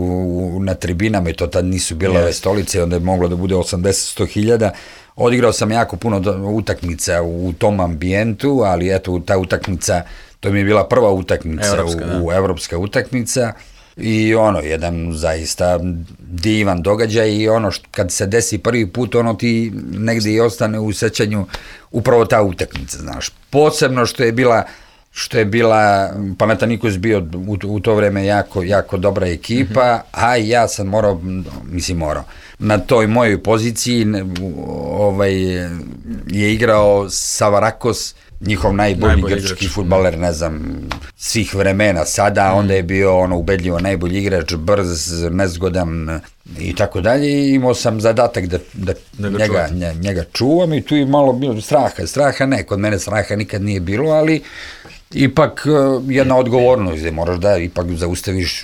na tribinama, i to tad nisu bile ove stolice, onda je moglo da bude 80-100.000. Odigrao sam jako puno utakmica u tom ambijentu, ali eto, ta utakmica, to mi je bila prva utakmica, evropska utakmica, i jedan zaista divan događaj, i kad se desi prvi put, ti negdje i ostane u sećanju upravo ta utakmica, znaš. Posebno što je bila Panathinaikos bio u to vreme jako dobra ekipa, a ja sam morao, na toj mojoj poziciji je igrao Savarakos, njihov najbolji grčki fudbaler, ne znam, svih vremena sada, onda je bio ubedljivo najbolji igrač, brz, nezgodan i tako dalje, i imao sam zadatak da njega čuvam, i tu je malo bilo straha ne, kod mene straha nikad nije bilo, ali ipak jedna odgovornost, gde moraš da ipak zaustaviš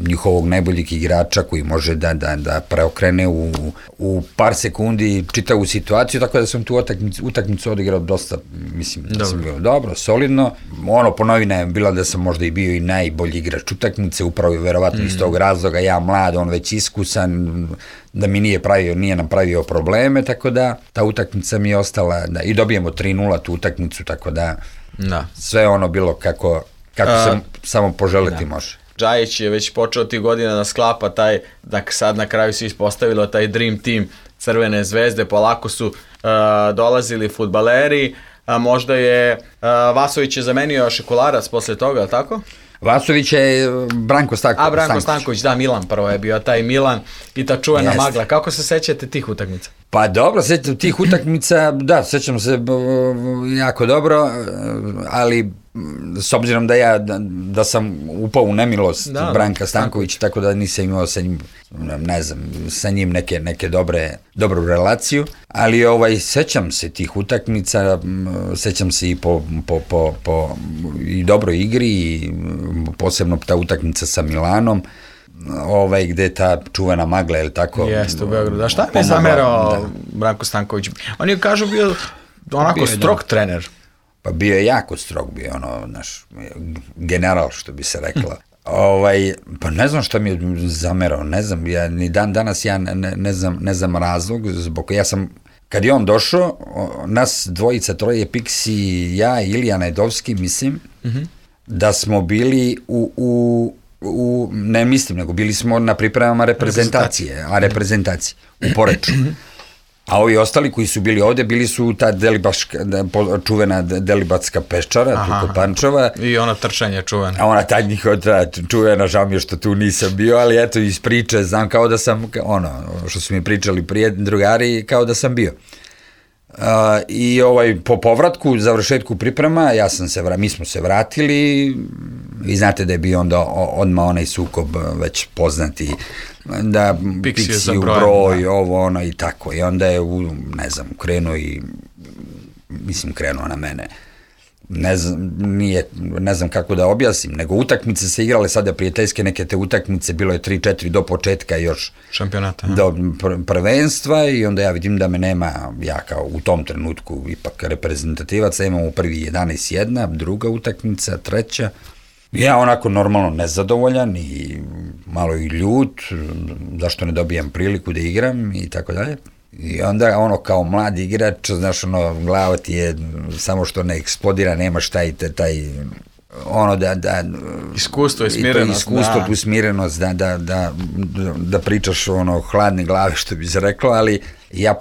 njihovog najboljeg igrača koji može da preokrene u par sekundi čitavu situaciju, tako da sam tu utakmicu odigrao dosta, mislim da sam bio dobro, solidno. Po novinama je bilo da sam možda i bio i najbolji igrač utakmice, upravo verovatno iz tog razloga, ja mlad, on već iskusan, da mi nije nam pravio probleme, tako da ta utakmica mi je ostala, i dobijemo 3-0 tu utakmicu, tako da sve bilo kako se samo poželiti može. Džajić je već počeo tih godina da sklapa taj, sad na kraju se ispostavilo taj dream team Crvene zvezde, polako su dolazili fudbaleri, možda je Vasović je zamenio Šekularac posle toga, ali tako? Vasović je Branko Stanković. Branko Stanković, da, Milan prvo je bio, taj Milan i ta čuvena magla. Kako se sećate tih utakmica? Pa dobro, sećam tih utakmica, da, sećam se jako dobro, ali s obzirom da sam upao u nemilost Branka Stankovića, tako da nisam imao sa njim, ne znam, sa njim neke dobru relaciju, ali sećam se tih utakmica, sećam se i po i dobroj igri, i posebno ta utakmica sa Milanom, gde je ta čuvena magla, je li tako? Jeste, u Beogradu. A šta mi je zamerao Branko Stanković? On je, kažu, bio onako strog trener. Pa bio je jako strog, bio naš general, što bi se rekla. Pa ne znam šta mi je zamerao, ne znam, ni danas ne znam razlog, zbog ja sam, kad je on došao, nas dvojica, troje, Piksi, ja i Ilija Najdovski, mislim, da smo bili ne mislim, nego bili smo na pripremama reprezentacije, u Poreču. A ovi ostali koji su bili ovde, bili su ta čuvena Delibatska peščara, tu kod Pančeva. I ona trčanje čuvena. A ona ta njihova čuvena, žao mi je što tu nisam bio, ali eto iz priče znam kao da sam, što su mi pričali drugari, kao da sam bio. I po povratku, završetku priprema, mi smo se vratili, vi znate da je bio onda odmah onaj sukob već poznati, da Pixiju broj, ovo ono i tako, i onda je krenuo na mene. Ne znam kako da objasnim, nego utakmice se igrale sada prijateljske, neke te utakmice, bilo je 3-4 do početka još šampionata, do prvenstva, i onda ja vidim da me nema, ja kao u tom trenutku ipak reprezentativaca, imam u prvi 11 druga utakmica, treća, ja onako normalno nezadovoljan i malo i ljut, zašto ne dobijam priliku da igram i tako dalje. I onda kao mladi igrač, znaš, glava ti je samo što ne eksplodira, nemaš taj iskustvo i smirenost. Tu smirenost, da pričaš hladne glave, što bi se reklo, ali ja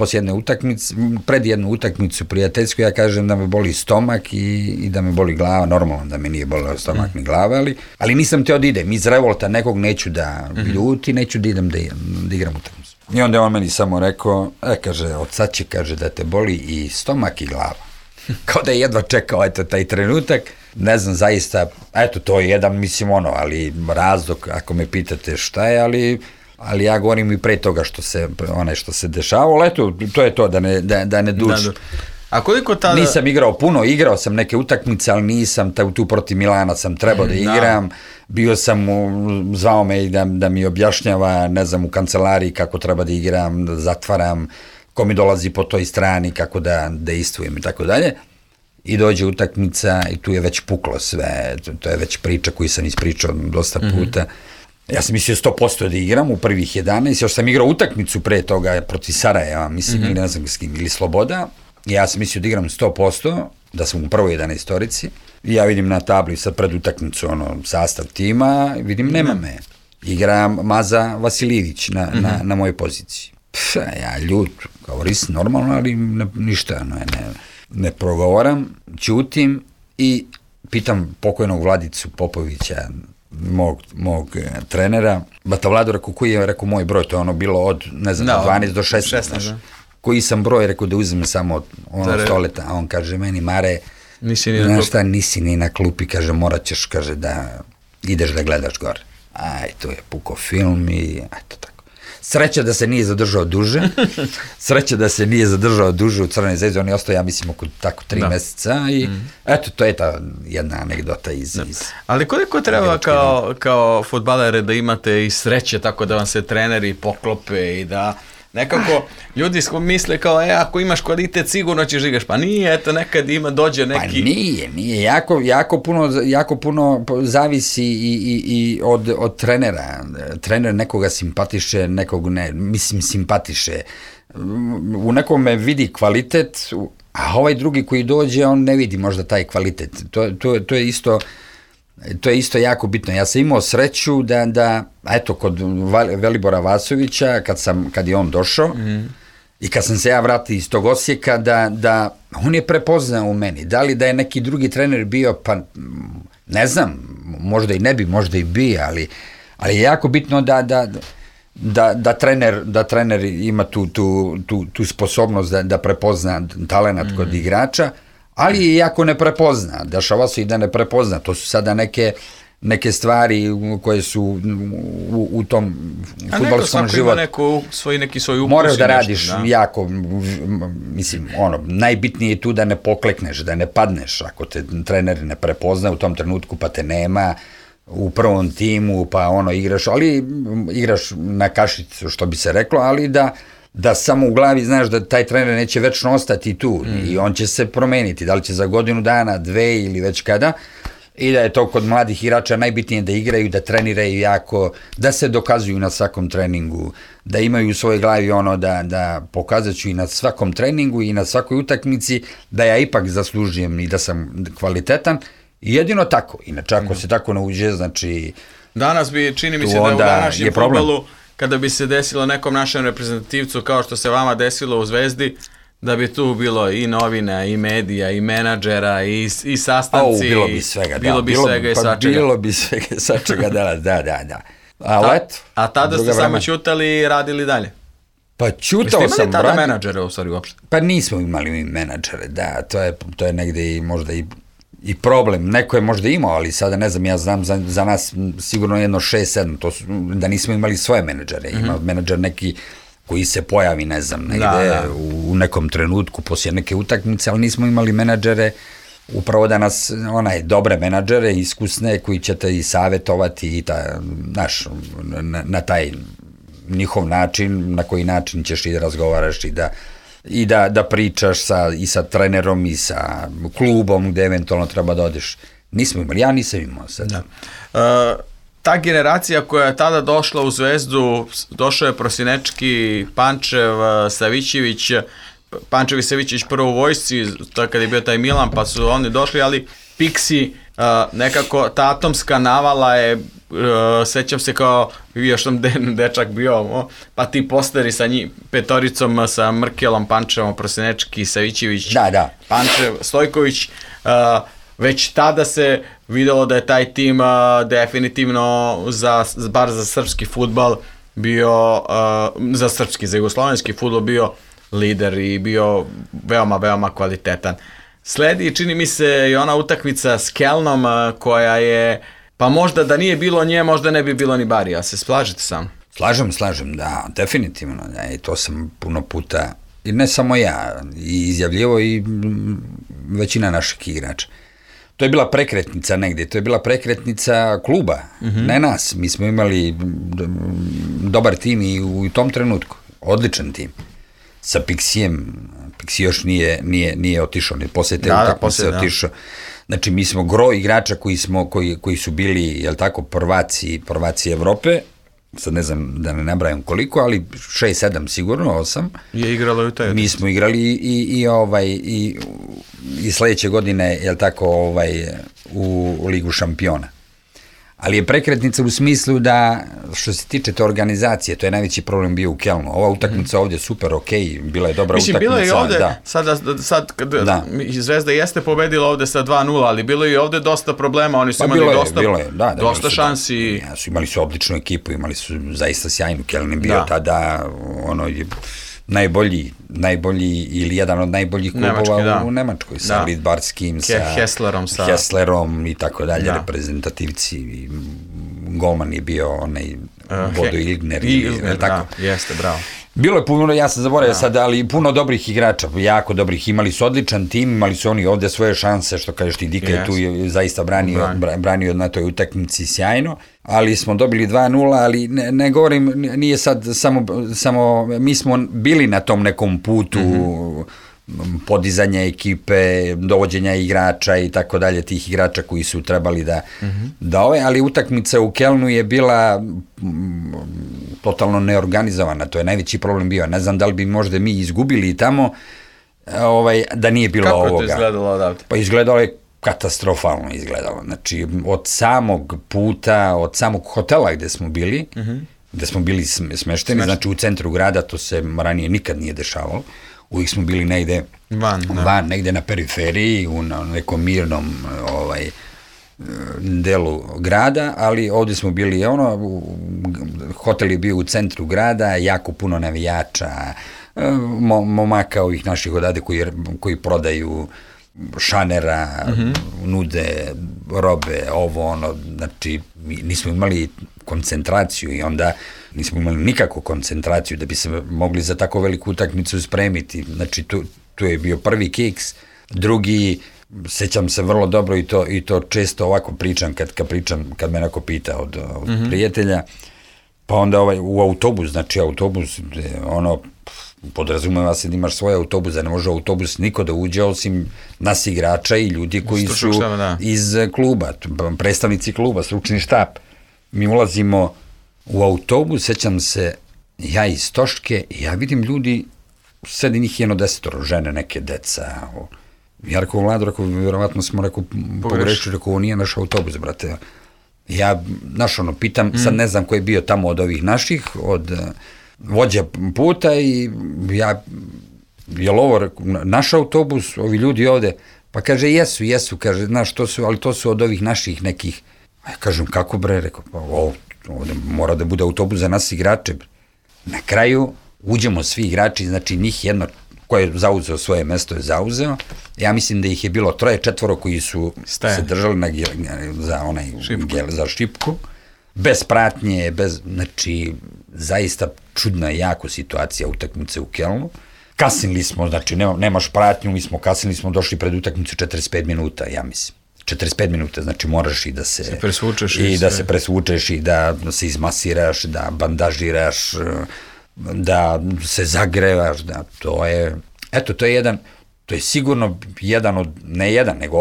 pred jednu utakmicu prijateljsku, ja kažem da me boli stomak i da me boli glava, normalno da me nije bolio stomak ni glava, ali nisam teo da idem, iz revolta nekog neću da ljuti, neću da idem da igram utakmicu. I onda je on meni samo rekao, kaže, od sad će, kaže, da te boli i stomak i glava. Kao da je jedva čekao, taj trenutak, ne znam zaista, to je jedan, ali razlog, ako me pitate šta je, ali ja govorim i pre toga što se dešavalo, ali to je to, da ne duži. A koliko tada... Nisam igrao puno, igrao sam neke utakmice, ali nisam, tu protiv Milana sam trebao da igram, bio sam, zvao me da mi objašnjava, ne znam, u kancelariji kako treba da igram, da zatvaram, ko mi dolazi po toj strani, kako da dejstvujem i tako dalje. I dođe utakmica i tu je već puklo sve, to je već priča koju sam ispričao dosta puta. Ja sam mislio 100% da igram u prvih 11, još sam igrao utakmicu pre toga protiv Sarajeva, mislim, ili ne znam s kim, ili Sloboda. Ja sam mislio da igram 100%, da sam u prvoj 11-torici. I ja vidim na tabli sad pred utakmicu sastav tima, vidim nema me. Igra Maza Vasilijević na mojoj poziciji. Ja ljut, govoris normalno, ali ništa, ne progovoram, ćutim i pitam pokojnog Vladicu Popovića, mog trenera, Bata Vlado, koji je rekao moj broj, to je bilo od, ne znam, 12 do 16, koji sam broj, rekao da uzmem samo stoleta, a on kaže meni, Mare, znaš šta, nisi ni na klupi, kaže, morat ćeš, kaže, da ideš da gledaš gore. To je puko film i eto tako. Sreća da se nije zadržao duže u Crvenoj Zvezdi, on je ostao, ja mislim, oko tako 3 meseca i eto, to je ta jedna anegdota iz... Ali koliko treba kao fudbalere da imate i sreće tako da vam se treneri poklope i da nekako ljudi misle kao, ako imaš kvalitet sigurno ćeš igraš, pa nije, eto nekad dođe neki... Pa nije, jako puno zavisi i od trenera. Trener nekoga simpatiše, nekog ne, mislim simpatiše. U nekome vidi kvalitet, a ovaj drugi koji dođe, on ne vidi možda taj kvalitet. To je isto jako bitno. Ja sam imao sreću da eto, kod Velibora Vasovića, kad je on došao, i kad sam se ja vratio iz tog Osijeka, da on je prepoznao u meni. Da li da je neki drugi trener bio, pa ne znam, možda i ne bi, možda i bi, ali je jako bitno da trener ima tu sposobnost da prepozna talenat kod igrača, ali je jako ne prepozna, dešava se i da ne prepozna, to su sada neke stvari koje su u tom fudbalskom životu. Neko neki svoj ukus. Moraš da radiš jako, mislim, najbitnije je tu da ne poklekneš, da ne padneš, ako te trener ne prepozna u tom trenutku pa te nema u prvom timu, pa igraš na kašicu, što bi se reklo, ali da samo u glavi znaš da taj trener neće večno ostati tu i on će se promeniti, da li će za godinu dana, 2 ili već kada, i da je to kod mladih igrača najbitnije da igraju, da treniraju jako, da se dokazuju na svakom treningu, da imaju u svojoj glavi da pokazat ću i na svakom treningu i na svakoj utakmici da ja ipak zaslužujem i da sam kvalitetan, i jedino tako, inače ako se tako ne uđe, znači... Danas bi, čini mi se da u današnjem fudbalu kada bi se desilo nekom našem reprezentativcu kao što se vama desilo u Zvezdi, da bi tu bilo i novina, i medija, i menadžera, i sastanci. Bilo bi svega, bilo bi svega i svačega. Bilo bi svega i svačega, da. A tada ste samo ćutali i radili dalje? Pa ćutao sam. Jeste imali tada menadžere u stvari uopšte? Pa nismo imali mi menadžere, da, to je negde i možda i problem. Neko je možda imao, ali sada ne znam, ja znam za nas sigurno jedno 6-7, to su, da nismo imali svoje menadžere. Ima menadžer neki koji se pojavi, ne znam, negde u nekom trenutku poslije neke utakmice, ali nismo imali menadžere, upravo da nas, dobre menadžere, iskusne, koji će te i savjetovati i na taj njihov način, na koji način ćeš i da razgovaraš i da pričaš i sa trenerom i sa klubom gde eventualno treba da odeš. Nismo imali, ja nisam imao sad. Da. Ta generacija koja je tada došla u Zvezdu, došao je Prosinečki, Pančev, Savićević, Pančev i Savićević prvo u vojsci, kad je bio taj Milan, pa su oni došli, ali Pixi, nekako ta atomska navala je, sećam se kao, još sam dečak bio, pa ti posteri sa petoricom, sa Mrkelom, Pančevom, Prosinečki, Savićević, Pančev, Stojković, već tada se videlo da je taj tim definitivno bar za srpski fudbal bio, za jugoslovenski fudbal bio lider i bio veoma, veoma kvalitetan. Sledi, čini mi se, i ona utakmica s Kelnom koja je, pa možda da nije bilo nje, možda ne bi bilo ni Barija. Se slažete sam? Slažem, da, definitivno. I to sam puno puta, i ne samo ja, i izjavljivo i većina naših igrača. To je bila prekretnica negdje, to je bila prekretnica kluba, ne nas. Mi smo imali dobar tim i u tom trenutku, odličan tim. Sa Pixijem, Pixi još nije otišao, poslije te utakmice otišao. Znači, mi smo gro igrača koji su bili, jel tako, prvaci Evrope, sad ne znam da ne nabrajam koliko, ali 6-7 sigurno, 8. Je igralo i u taj. Mi smo igrali i sledeće godine, jel tako, u Ligu šampiona. Ali je prekretnica u smislu da, što se tiče te organizacije, to je najveći problem bio u Kelnu. Ova utakmica ovdje super, okej, bila je dobra utakmica. Bilo je i ovdje, sad kada Zvezda jeste pobedila ovdje sa 2-0, ali bilo je i ovdje dosta problema, oni su imali dosta šansi. Imali su odličnu ekipu, imali su zaista sjajnu. Keln je bio tada najbolji ili jedan od najboljih klubova u Nemačkoj, sa Lidbarskim, sa Hesslerom i tako dalje, reprezentativci. Golman je bio onaj Bodo Ilgner. Jeste, bravo. Bilo je puno, ja sam zaboravio sad, ali puno dobrih igrača, jako dobrih, imali su odličan tim, imali su oni ovdje svoje šanse, što kažeš ti, Dika je tu zaista branio na toj utakmici sjajno, ali smo dobili 2-0, ali ne govorim, nije sad samo, mi smo bili na tom nekom putu podizanja ekipe, dovođenja igrača i tako dalje, tih igrača koji su trebali da ali utakmica u Kelnu je bila totalno neorganizovana, to je najveći problem bio. Ne znam da li bi možda mi izgubili tamo da nije bilo ovoga. Kako je to izgledalo odavde? Pa izgledalo je katastrofalno izgledalo. Znači, od samog puta, od samog hotela gde smo bili smešteni, znači u centru grada, to se ranije nikad nije dešavalo. Uvijek smo bili negde van, negde na periferiji, u nekom mirnom delu grada, ali ovdje smo bili, hotel je bio u centru grada, jako puno navijača, momaka ovih naših odade koji prodaju šanera, nude robe, znači nismo imali koncentraciju i onda nismo imali nikakvu koncentraciju da bi se mogli za tako veliku utakmicu spremiti. Znači tu je bio prvi kiks, drugi, sećam se vrlo dobro i to često ovako pričam kad me neko pita od prijatelja, pa onda u autobus, podrazumeva se da imaš svoj autobus, da ne može autobus niko da uđe osim nas igrača i ljudi koji su iz kluba, predstavnici kluba, stručni štab. Mi ulazimo u autobus, sećam se, ja iz Toške, i ja vidim ljudi, sedi njih 10, žene, neke deca. Ja rekao, Vlado, vjerovatno smo pogrešili, rekao, ovo nije naš autobus, brate. Ja, pitam, sad ne znam ko je bio tamo od ovih naših, od vođa puta i ja, je li ovo naš autobus, ovi ljudi ovde, pa kaže jesu, kaže, znaš, ali to su od ovih naših nekih, ja kažem, kako bre, rekao, pa ovde mora da bude autobus za nas igrače. Na kraju uđemo svi igrači, znači njih jedno ko je zauzeo svoje mesto je zauzeo, ja mislim da ih je bilo 3-4 koji su se držali za šipku, bez pratnje, znači zaista čudna jako situacija utakmice u Kelnu. Kasnili smo, znači nemaš pratnju, mi smo kasnili, smo došli pred utakmicu 45 minuta, ja mislim. 45 minuta, znači moraš i da se presvučeš i da se izmasiraš, da bandažiraš, da se zagrevaš, da to je, to je sigurno jedan od, ne jedan, nego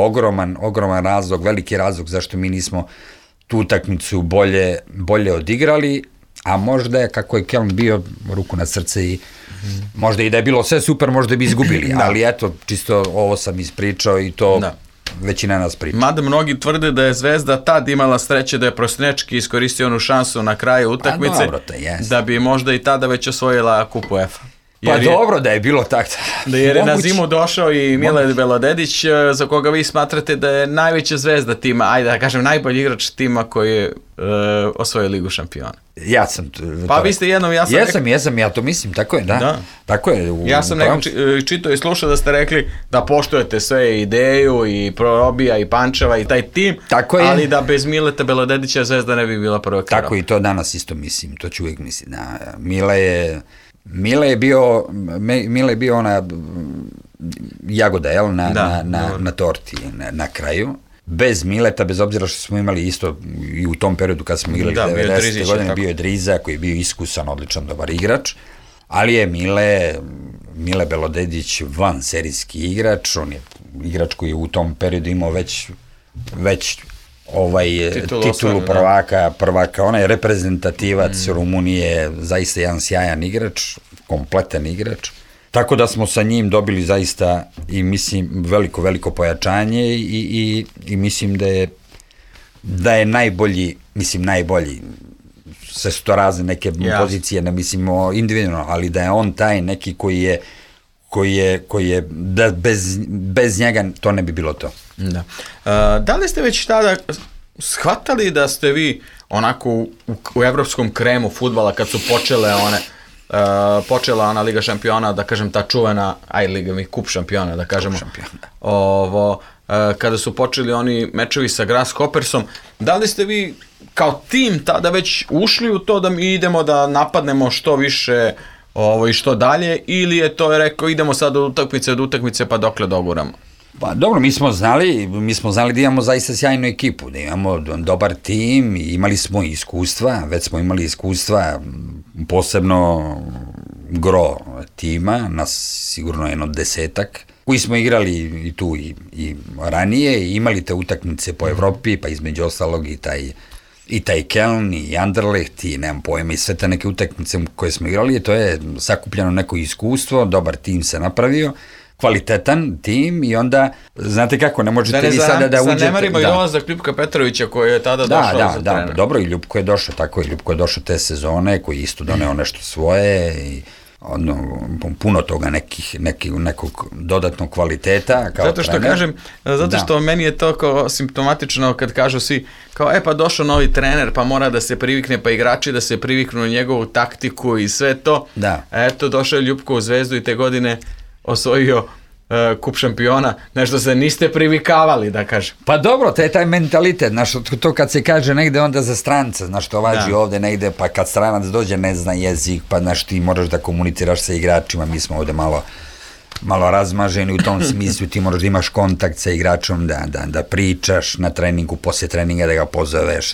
ogroman razlog, veliki razlog zašto mi nismo tu utakmicu bolje odigrali, a možda je, kako je Keln bio, ruku na srce i možda i da je bilo sve super, možda bi izgubili, ali čisto ovo sam ispričao i to većina nas priča. Mada mnogi tvrde da je Zvezda tad imala sreće da je Prosnečki iskoristio onu šansu na kraju utakmice, da bi možda i tada već osvojila kupu UEFA. Pa dobro da je bilo tako. Jer je na zimu došao i Mile Belodedić, za koga vi smatrate da je najveća zvezda tima, ajde da kažem najbolji igrač tima koji je osvojio Ligu šampiona. Ja sam... Pa vi ste jednom, Jesam, ja to mislim, tako je, da. Tako je. Ja sam čitao i slušao da ste rekli da poštujete sve ideju i Probija i Pančeva i taj tim, ali da bez Mileta Belodedića Zvezda ne bi bila prva krava. Tako i to danas isto mislim, to ću uvijek mislim. Mile je bio ona jagoda, jel, na torti na kraju. Bez Mileta, bez obzira što smo imali isto i u tom periodu kad smo igrali 90. godine, bio je Driza koji je bio iskusan, odličan, dobar igrač, ali je Mile Belodedić van serijski igrač, on je igrač koji je u tom periodu imao već titulu prvaka, on je reprezentativac Rumunije, zaista jedan sjajan igrač, kompletan igrač. Tako da smo sa njim dobili zaista i mislim veliko pojačanje i mislim da je najbolji, sve su to razne neke pozicije, ne mislimo individualno, ali da je on taj neki koji je da bez njega to ne bi bilo to. Da. Da li ste već tada shvatali da ste vi onako u evropskom kremu fudbala kad su počela ona Liga šampiona, da kažem ta čuvena, kup šampiona, da kažemo, kada su počeli oni mečevi sa Grasshoppersom, da li ste vi kao tim tada već ušli u to da mi idemo da napadnemo što više i što dalje, ili je to rekao idemo sad od utakmice pa dokle doguramo? Pa dobro, mi smo znali da imamo zaista sjajnu ekipu, da imamo dobar tim, imali smo već smo imali iskustva, posebno gro tima, nas sigurno jedno 10-ak, koji smo igrali i tu i ranije, i imali te utakmice po Evropi, pa između ostalog i taj Keln, i Anderlecht, i nemam pojma, i sve te neke utakmice koje smo igrali, to je sakupljeno neko iskustvo, dobar tim se napravio, kvalitetan tim, i onda, znate kako, ne možete vi sada da uđete... Zanemarimo i dolazak Ljupka Petrovića koji je tada došao za trenera. Da, dobro, i Ljupko je došao, tako je, Ljupko je došao te sezone, koji isto doneo nešto svoje, i puno toga nekog dodatnog kvaliteta kao zato što trener. Kažem, zato što meni je to kao simptomatično kad kažu svi kao pa došao novi trener pa mora da se privikne, pa igrači da se priviknu na njegovu taktiku i sve to. Eto, došao je Ljupko u Zvezdu i te godine osvojio kup šampiona, nešto se niste privikavali, da kažem. Pa dobro, to je taj mentalitet, znaš, to kad se kaže negde onda za stranca, znaš, to važi ovde negde, pa kad stranac dođe ne zna jezik, pa znaš, ti moraš da komuniciraš sa igračima, mi smo ovde malo razmaženi u tom smislu, ti moraš da imaš kontakt sa igračom, da pričaš na treningu, posle treninga da ga pozoveš,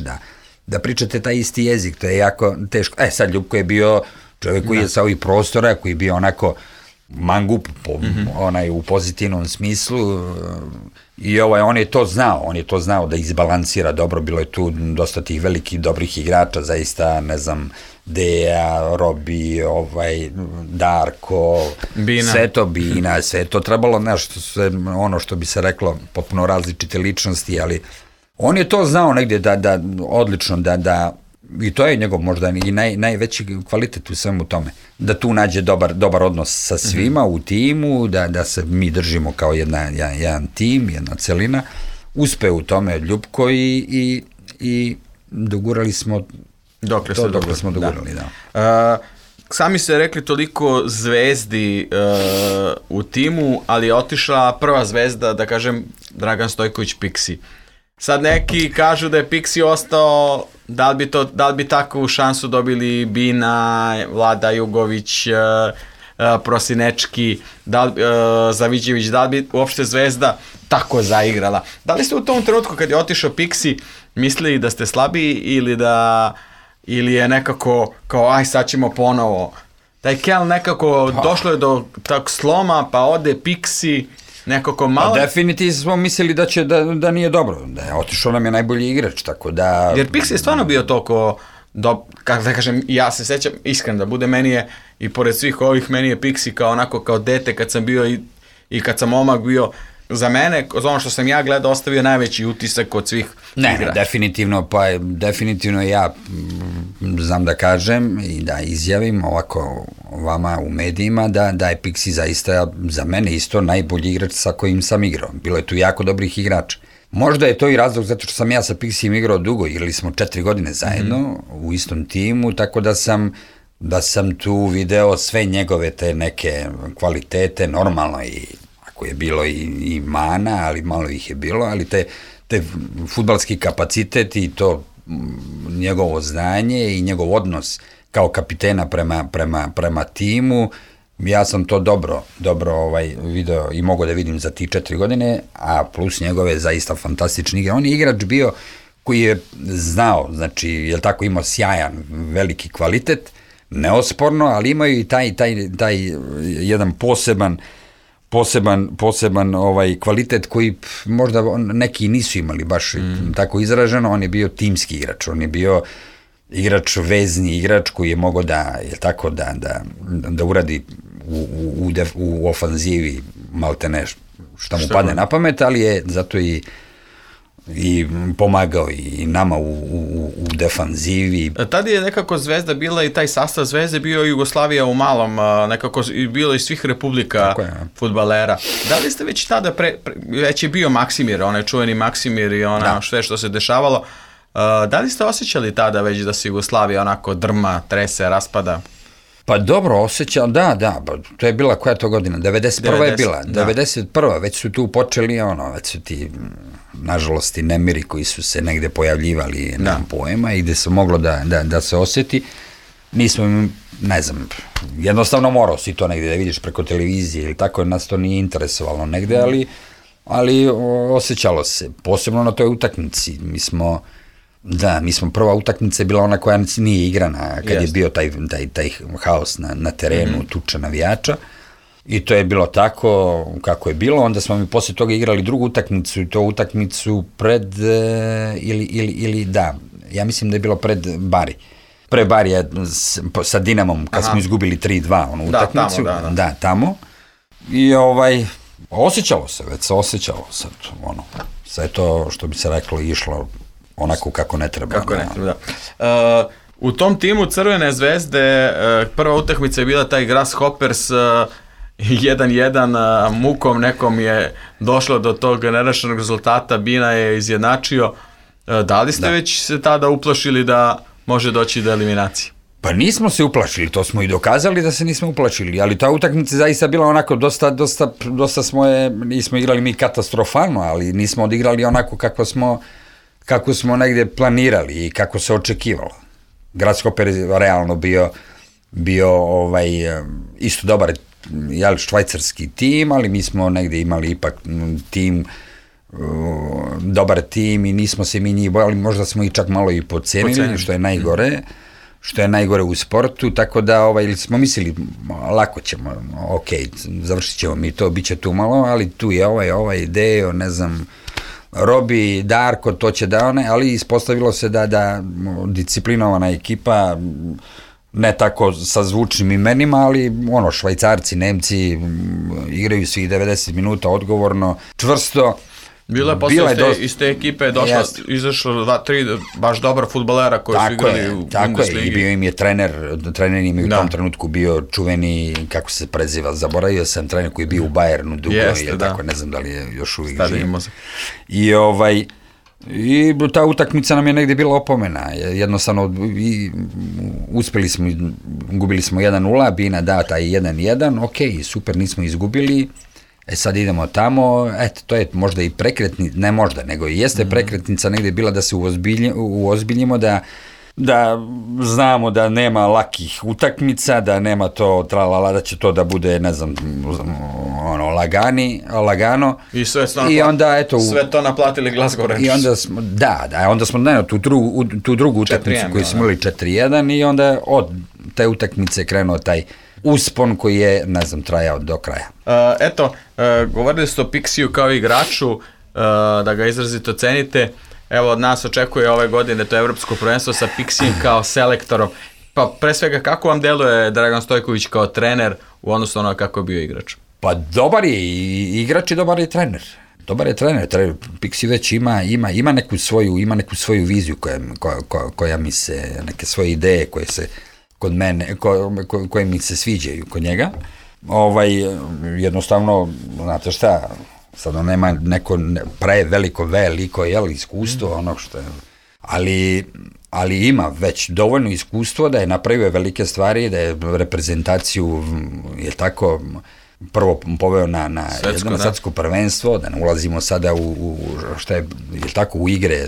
da pričate taj isti jezik, to je jako teško. Sad Ljupko je bio čovjek koji je sa ovih prostora, koji je bio onako mangup, u pozitivnom smislu, i on je to znao da izbalansira dobro, bilo je tu dosta tih velikih dobrih igrača, zaista, ne znam, Deja, Robi, Darko, Bina, sve to trebalo, ono što bi se reklo, potpuno različite ličnosti, ali On je to znao negdje da odlično, da i to je njegov možda i najveći kvalitet u svemu tome. Da tu nađe dobar odnos sa svima u timu, da se mi držimo kao jedan tim, jedna celina. Uspe u tome Ljupko i dogurali smo dokle smo dogurali, da. Sami ste rekli toliko zvezdi u timu, ali je otišla prva zvezda, da kažem, Dragan Stojković Piksi. Sad neki kažu da je Piksi ostao, da li bi takvu šansu dobili Bina, Vlada Jugović, Prosinečki, Zaviđević, da li bi uopšte zvezda tako zaigrala? Da li ste u tom trenutku kad je otišao Piksi mislili da ste slabiji ili je nekako kao aj sad ćemo ponovo? Taj Kel nekako došlo je do tak sloma, pa ode Piksi, nekako malo... Definitivno smo mislili da nije dobro, da je otišao nam je najbolji igrač, tako da... Jer Piksi je stvarno bio toliko, kako da kažem, ja se sećam, iskreno da bude, meni je, i pored svih ovih, meni je Piksi kao onako, kao dete kad sam bio i kad sam momak bio, za mene, ono što sam ja gledao, ostavio najveći utisak od svih igrača. Ne, definitivno ja znam da kažem i da izjavim ovako vama u medijima da je Piksi zaista za mene isto najbolji igrač sa kojim sam igrao. Bilo je tu jako dobrih igrača. Možda je to i razlog zato što sam ja sa Piksijem igrao dugo, igrali smo 4 godine zajedno u istom timu, tako da sam tu video sve njegove te neke kvalitete, normalno i je bilo i mana, ali malo ih je bilo, ali te fudbalski kapacitet i to njegovo znanje i njegov odnos kao kapitena prema timu, ja sam to dobro video i mogu da vidim za ti 4 godine, a plus njegove zaista fantastične igre. On je igrač bio koji je znao, znači, je tako, imao sjajan, veliki kvalitet, neosporno, ali imaju i taj jedan poseban kvalitet koji možda neki nisu imali baš tako izraženo. On je bio timski igrač, on je bio igrač, vezni igrač koji je mogao da uradi u ofanzivi maltene šta mu padne na pamet, ali je zato i pomagao i nama u defanzivi. Tad je nekako Zvezda bila i taj sastav Zvezde bio Jugoslavija u malom, nekako bilo iz svih republika fudbalera. Da li ste već tada, već je bio Maksimir, onaj čuveni Maksimir i sve što se dešavalo, da li ste osjećali tada već da se Jugoslavija onako drma, trese, raspada? Pa dobro, osjećam, da, to je bila koja to godina, 91. je bila, 91. već su tu počeli, već su ti, nažalost, i nemiri koji su se negde pojavljivali na pojema i gde se moglo da se osjeti. Nismo, ne znam, jednostavno morao si to negde da vidiš preko televizije ili tako, nas to nije interesovalo negde, ali osjećalo se, posebno na toj utakmici. Mi smo prva utakmica je bila ona koja nije igrana, kad je bio taj haos na terenu, tuča navijača, i to je bilo tako kako je bilo. Onda smo mi posle toga igrali drugu utakmicu, i to utakmicu ja mislim da je bilo pred Bari. Pre Barija sa Dinamom, kad smo izgubili 3-2 onu utakmicu. Tamo. I osjećalo se sad, sve to, što bi se reklo, išlo onako kako ne treba. U tom timu Crvene zvezde prva utakmica je bila taj Grasshoppers 1-1, mukom nekom je došlo do tog nerešenog rezultata, Bina je izjednačio. Da li ste već se tada uplašili da može doći do eliminacije? Pa nismo se uplašili, to smo i dokazali da se nismo uplašili, ali ta utakmica zaista bila onako dosta nismo igrali mi katastrofalno, ali nismo odigrali onako kako smo negde planirali i kako se očekivalo. Grasshopper je realno bio isto dobar švajcarski tim, ali mi smo negde imali ipak tim, dobar tim, i nismo se mi njih bojali, možda smo i čak malo i podcenili, što je najgore u sportu, tako da smo mislili lako ćemo, završit ćemo mi to, bit će tu malo, ali tu je ovaj Dejo, ne znam, Robi, Darko, to će ali ispostavilo se da disciplinovana ekipa, ne tako sa zvučnim imenima, ali Švajcarci, Nemci igraju svih 90 minuta odgovorno, čvrsto, Bilo je posle iz te ekipe izašlo 2-3 baš dobra fudbalera koji su igrali u Bundesligi. I bio im je trener im je u tom trenutku bio čuveni, kako se preziva, zaboravio sam, trener koji je bio u Bayernu dugo, tako, ne znam da li je još uvijek živ. I ta utakmica nam je negdje bila opomena, jednostavno gubili smo 1-0, Bina da taj 1-1, ok, super, nismo izgubili. Sad idemo tamo, to je možda i prekretnica, ne možda, nego i jeste prekretnica negdje bila da se uozbiljimo, da znamo da nema lakih utakmica, da nema to tralala, da će to da bude, ne znam, lagano. I sve to naplatili Glasgow Rangers. I onda smo, onda smo tu drugu utakmicu koju smo imali 4-1 i onda od te utakmice krenuo taj uspon koji je, ne znam, trajao do kraja. Govorili ste o Pixiju kao igraču, da ga izrazito cenite. Evo, od nas očekuje ove godine to evropsko prvenstvo sa Pixijem kao selektorom. Pa pre svega, kako vam deluje Dragan Stojković kao trener u odnosu na kako je bio igrač? Pa dobar je i igrač i dobar je trener. Pixi već ima neku svoju viziju koja mi se, neke svoje ideje koje se kod mene, koje mi se sviđaju kod njega. Jednostavno, znate šta, sad on nema neko veliko iskustvo, ono što je, ali ima već dovoljno iskustvo da je napravio velike stvari, da je reprezentaciju, je tako, prvo poveo na jedno svetsko prvenstvo, da ne ulazimo sada u igre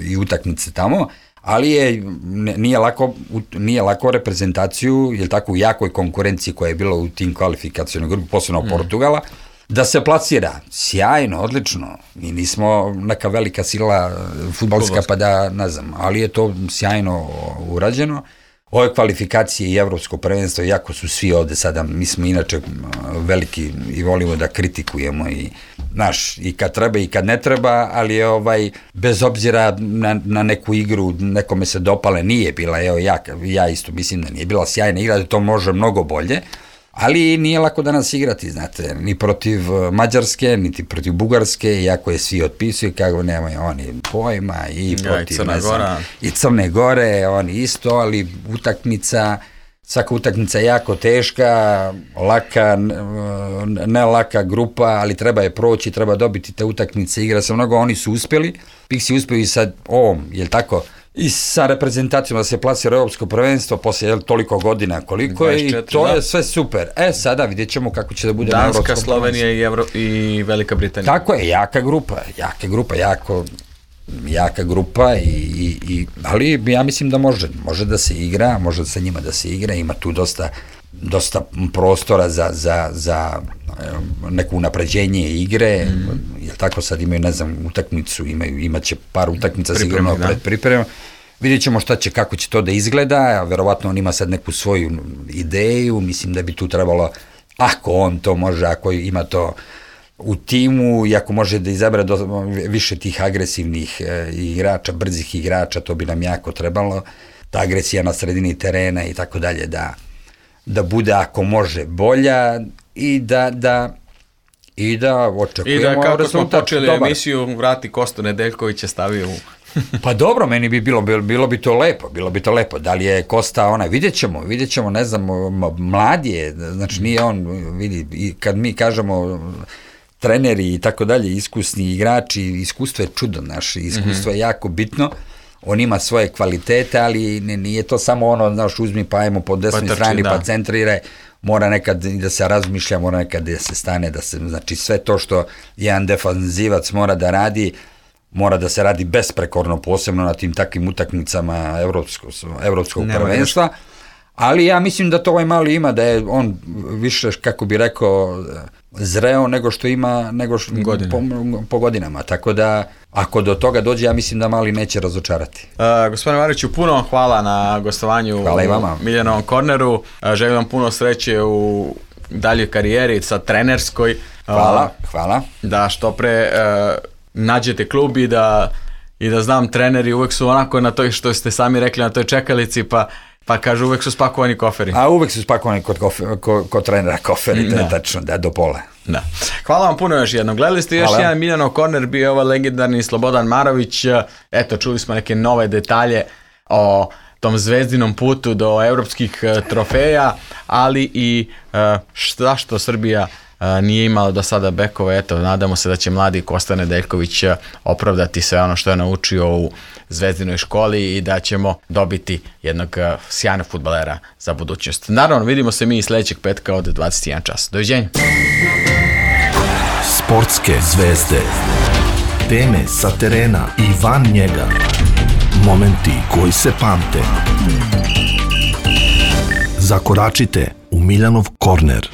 i utakmice tamo, ali nije lako reprezentaciju, je tako, u jakoj konkurenciji koja je bila u tim kvalifikacijom grupi, posebno Portugala, da se plasira. Sjajno, odlično. Mi nismo neka velika sila fudbalska pa da, ne znam, ali je to sjajno urađeno. Ove kvalifikacije i evropsko prvenstvo, jako su svi ovde sada, mi smo inače veliki i volimo da kritikujemo i kad treba i kad ne treba, ali bez obzira na neku igru, nekome se dopale, nije bila, ja isto mislim da nije bila sjajna igra, da to može mnogo bolje, ali nije lako danas igrati, znate, ni protiv Mađarske, niti protiv Bugarske, iako je svi otpisuju, kako nemaju oni pojma, i protiv i Crne Gore, oni isto, ali svaka utakmica je jako teška, laka, ne laka grupa, ali treba je proći, treba dobiti te utakmice, igra se mnogo, oni su uspjeli, Pixi uspjeli sad ovom, je li tako, i sa reprezentacijom da se plasira europsko prvenstvo posle toliko godina koliko je, i to je sve super. Sada vidjet ćemo kako će da bude na evropskom prvenstvu. Danska, Slovenija i Velika Britanija. Tako je, jaka grupa, ali ja mislim da može da se igra, može sa njima da se igra, ima tu dosta prostora za neko unapređenje igre, jer tako sad imaju, ne znam, utakmicu, imaće par utakmica sigurno pred pripremom. Vidjet ćemo kako će to da izgleda, verovatno on ima sad neku svoju ideju, mislim da bi tu trebalo, ako on to može, ako ima to u timu i ako može da izabere više tih agresivnih igrača, brzih igrača, to bi nam jako trebalo, ta agresija na sredini terena i tako dalje, da bude, ako može, bolja i da očekujemo rezultat. I da, kako smo počeli emisiju, vrati Kostu Nedeljkovića, stavio u... Pa dobro, meni bi bilo bi to lepo, da li je Kosta vidjet ćemo, ne znam, mlad je, znači nije on, vidi, kad mi kažemo treneri i tako dalje, iskusni igrači, iskustvo je čudo naše, iskustvo je jako bitno, on ima svoje kvalitete, ali nije to samo znaš, uzmi pa ajmo po desnoj strani pa centriraj, mora nekad da se razmišlja, mora nekad da se stane, znači sve to što jedan defanzivac mora da radi, mora da se radi besprekorno, posebno na tim takvim utakmicama evropskog prvenstva, ali ja mislim da to mali ima, da je on više, kako bi rekao, zreo nego što ima po godinama, tako da ako do toga dođe, ja mislim da mali neće razočarati. Gospodine Mariću, puno hvala na gostovanju u Miljanovom korneru, želim vam puno sreće u daljoj karijeri, sa trenerskoj. Hvala. Da što pre nađete klub i da i da znam treneri uvek su onako na toj, što ste sami rekli, na toj čekalici, pa kažu uvek su spakovani koferi. A uvek su spakovani kod trenera koferi, to je tačno, da, do pola. Da. Hvala vam puno još jednom. Gledali ste još jedan Miljanov korner, bio je ovaj legendarni Slobodan Marović. Eto, čuli smo neke nove detalje o tom zvezdinom putu do evropskih trofeja, ali i što Srbija nije imala do sada bekove. Eto, nadamo se da će mladi Kosta Nedeljković opravdati sve ono što je naučio u zvezdinoj školi i da ćemo dobiti jednog sjajnog fudbalera za budućnost. Naravno, vidimo se mi i sledećeg petka od 21 čas. Doviđenja. Sportske zvezde. Teme sa terena i van njega. Momenti koji se pamte. Zakoračite u Miljanov korner.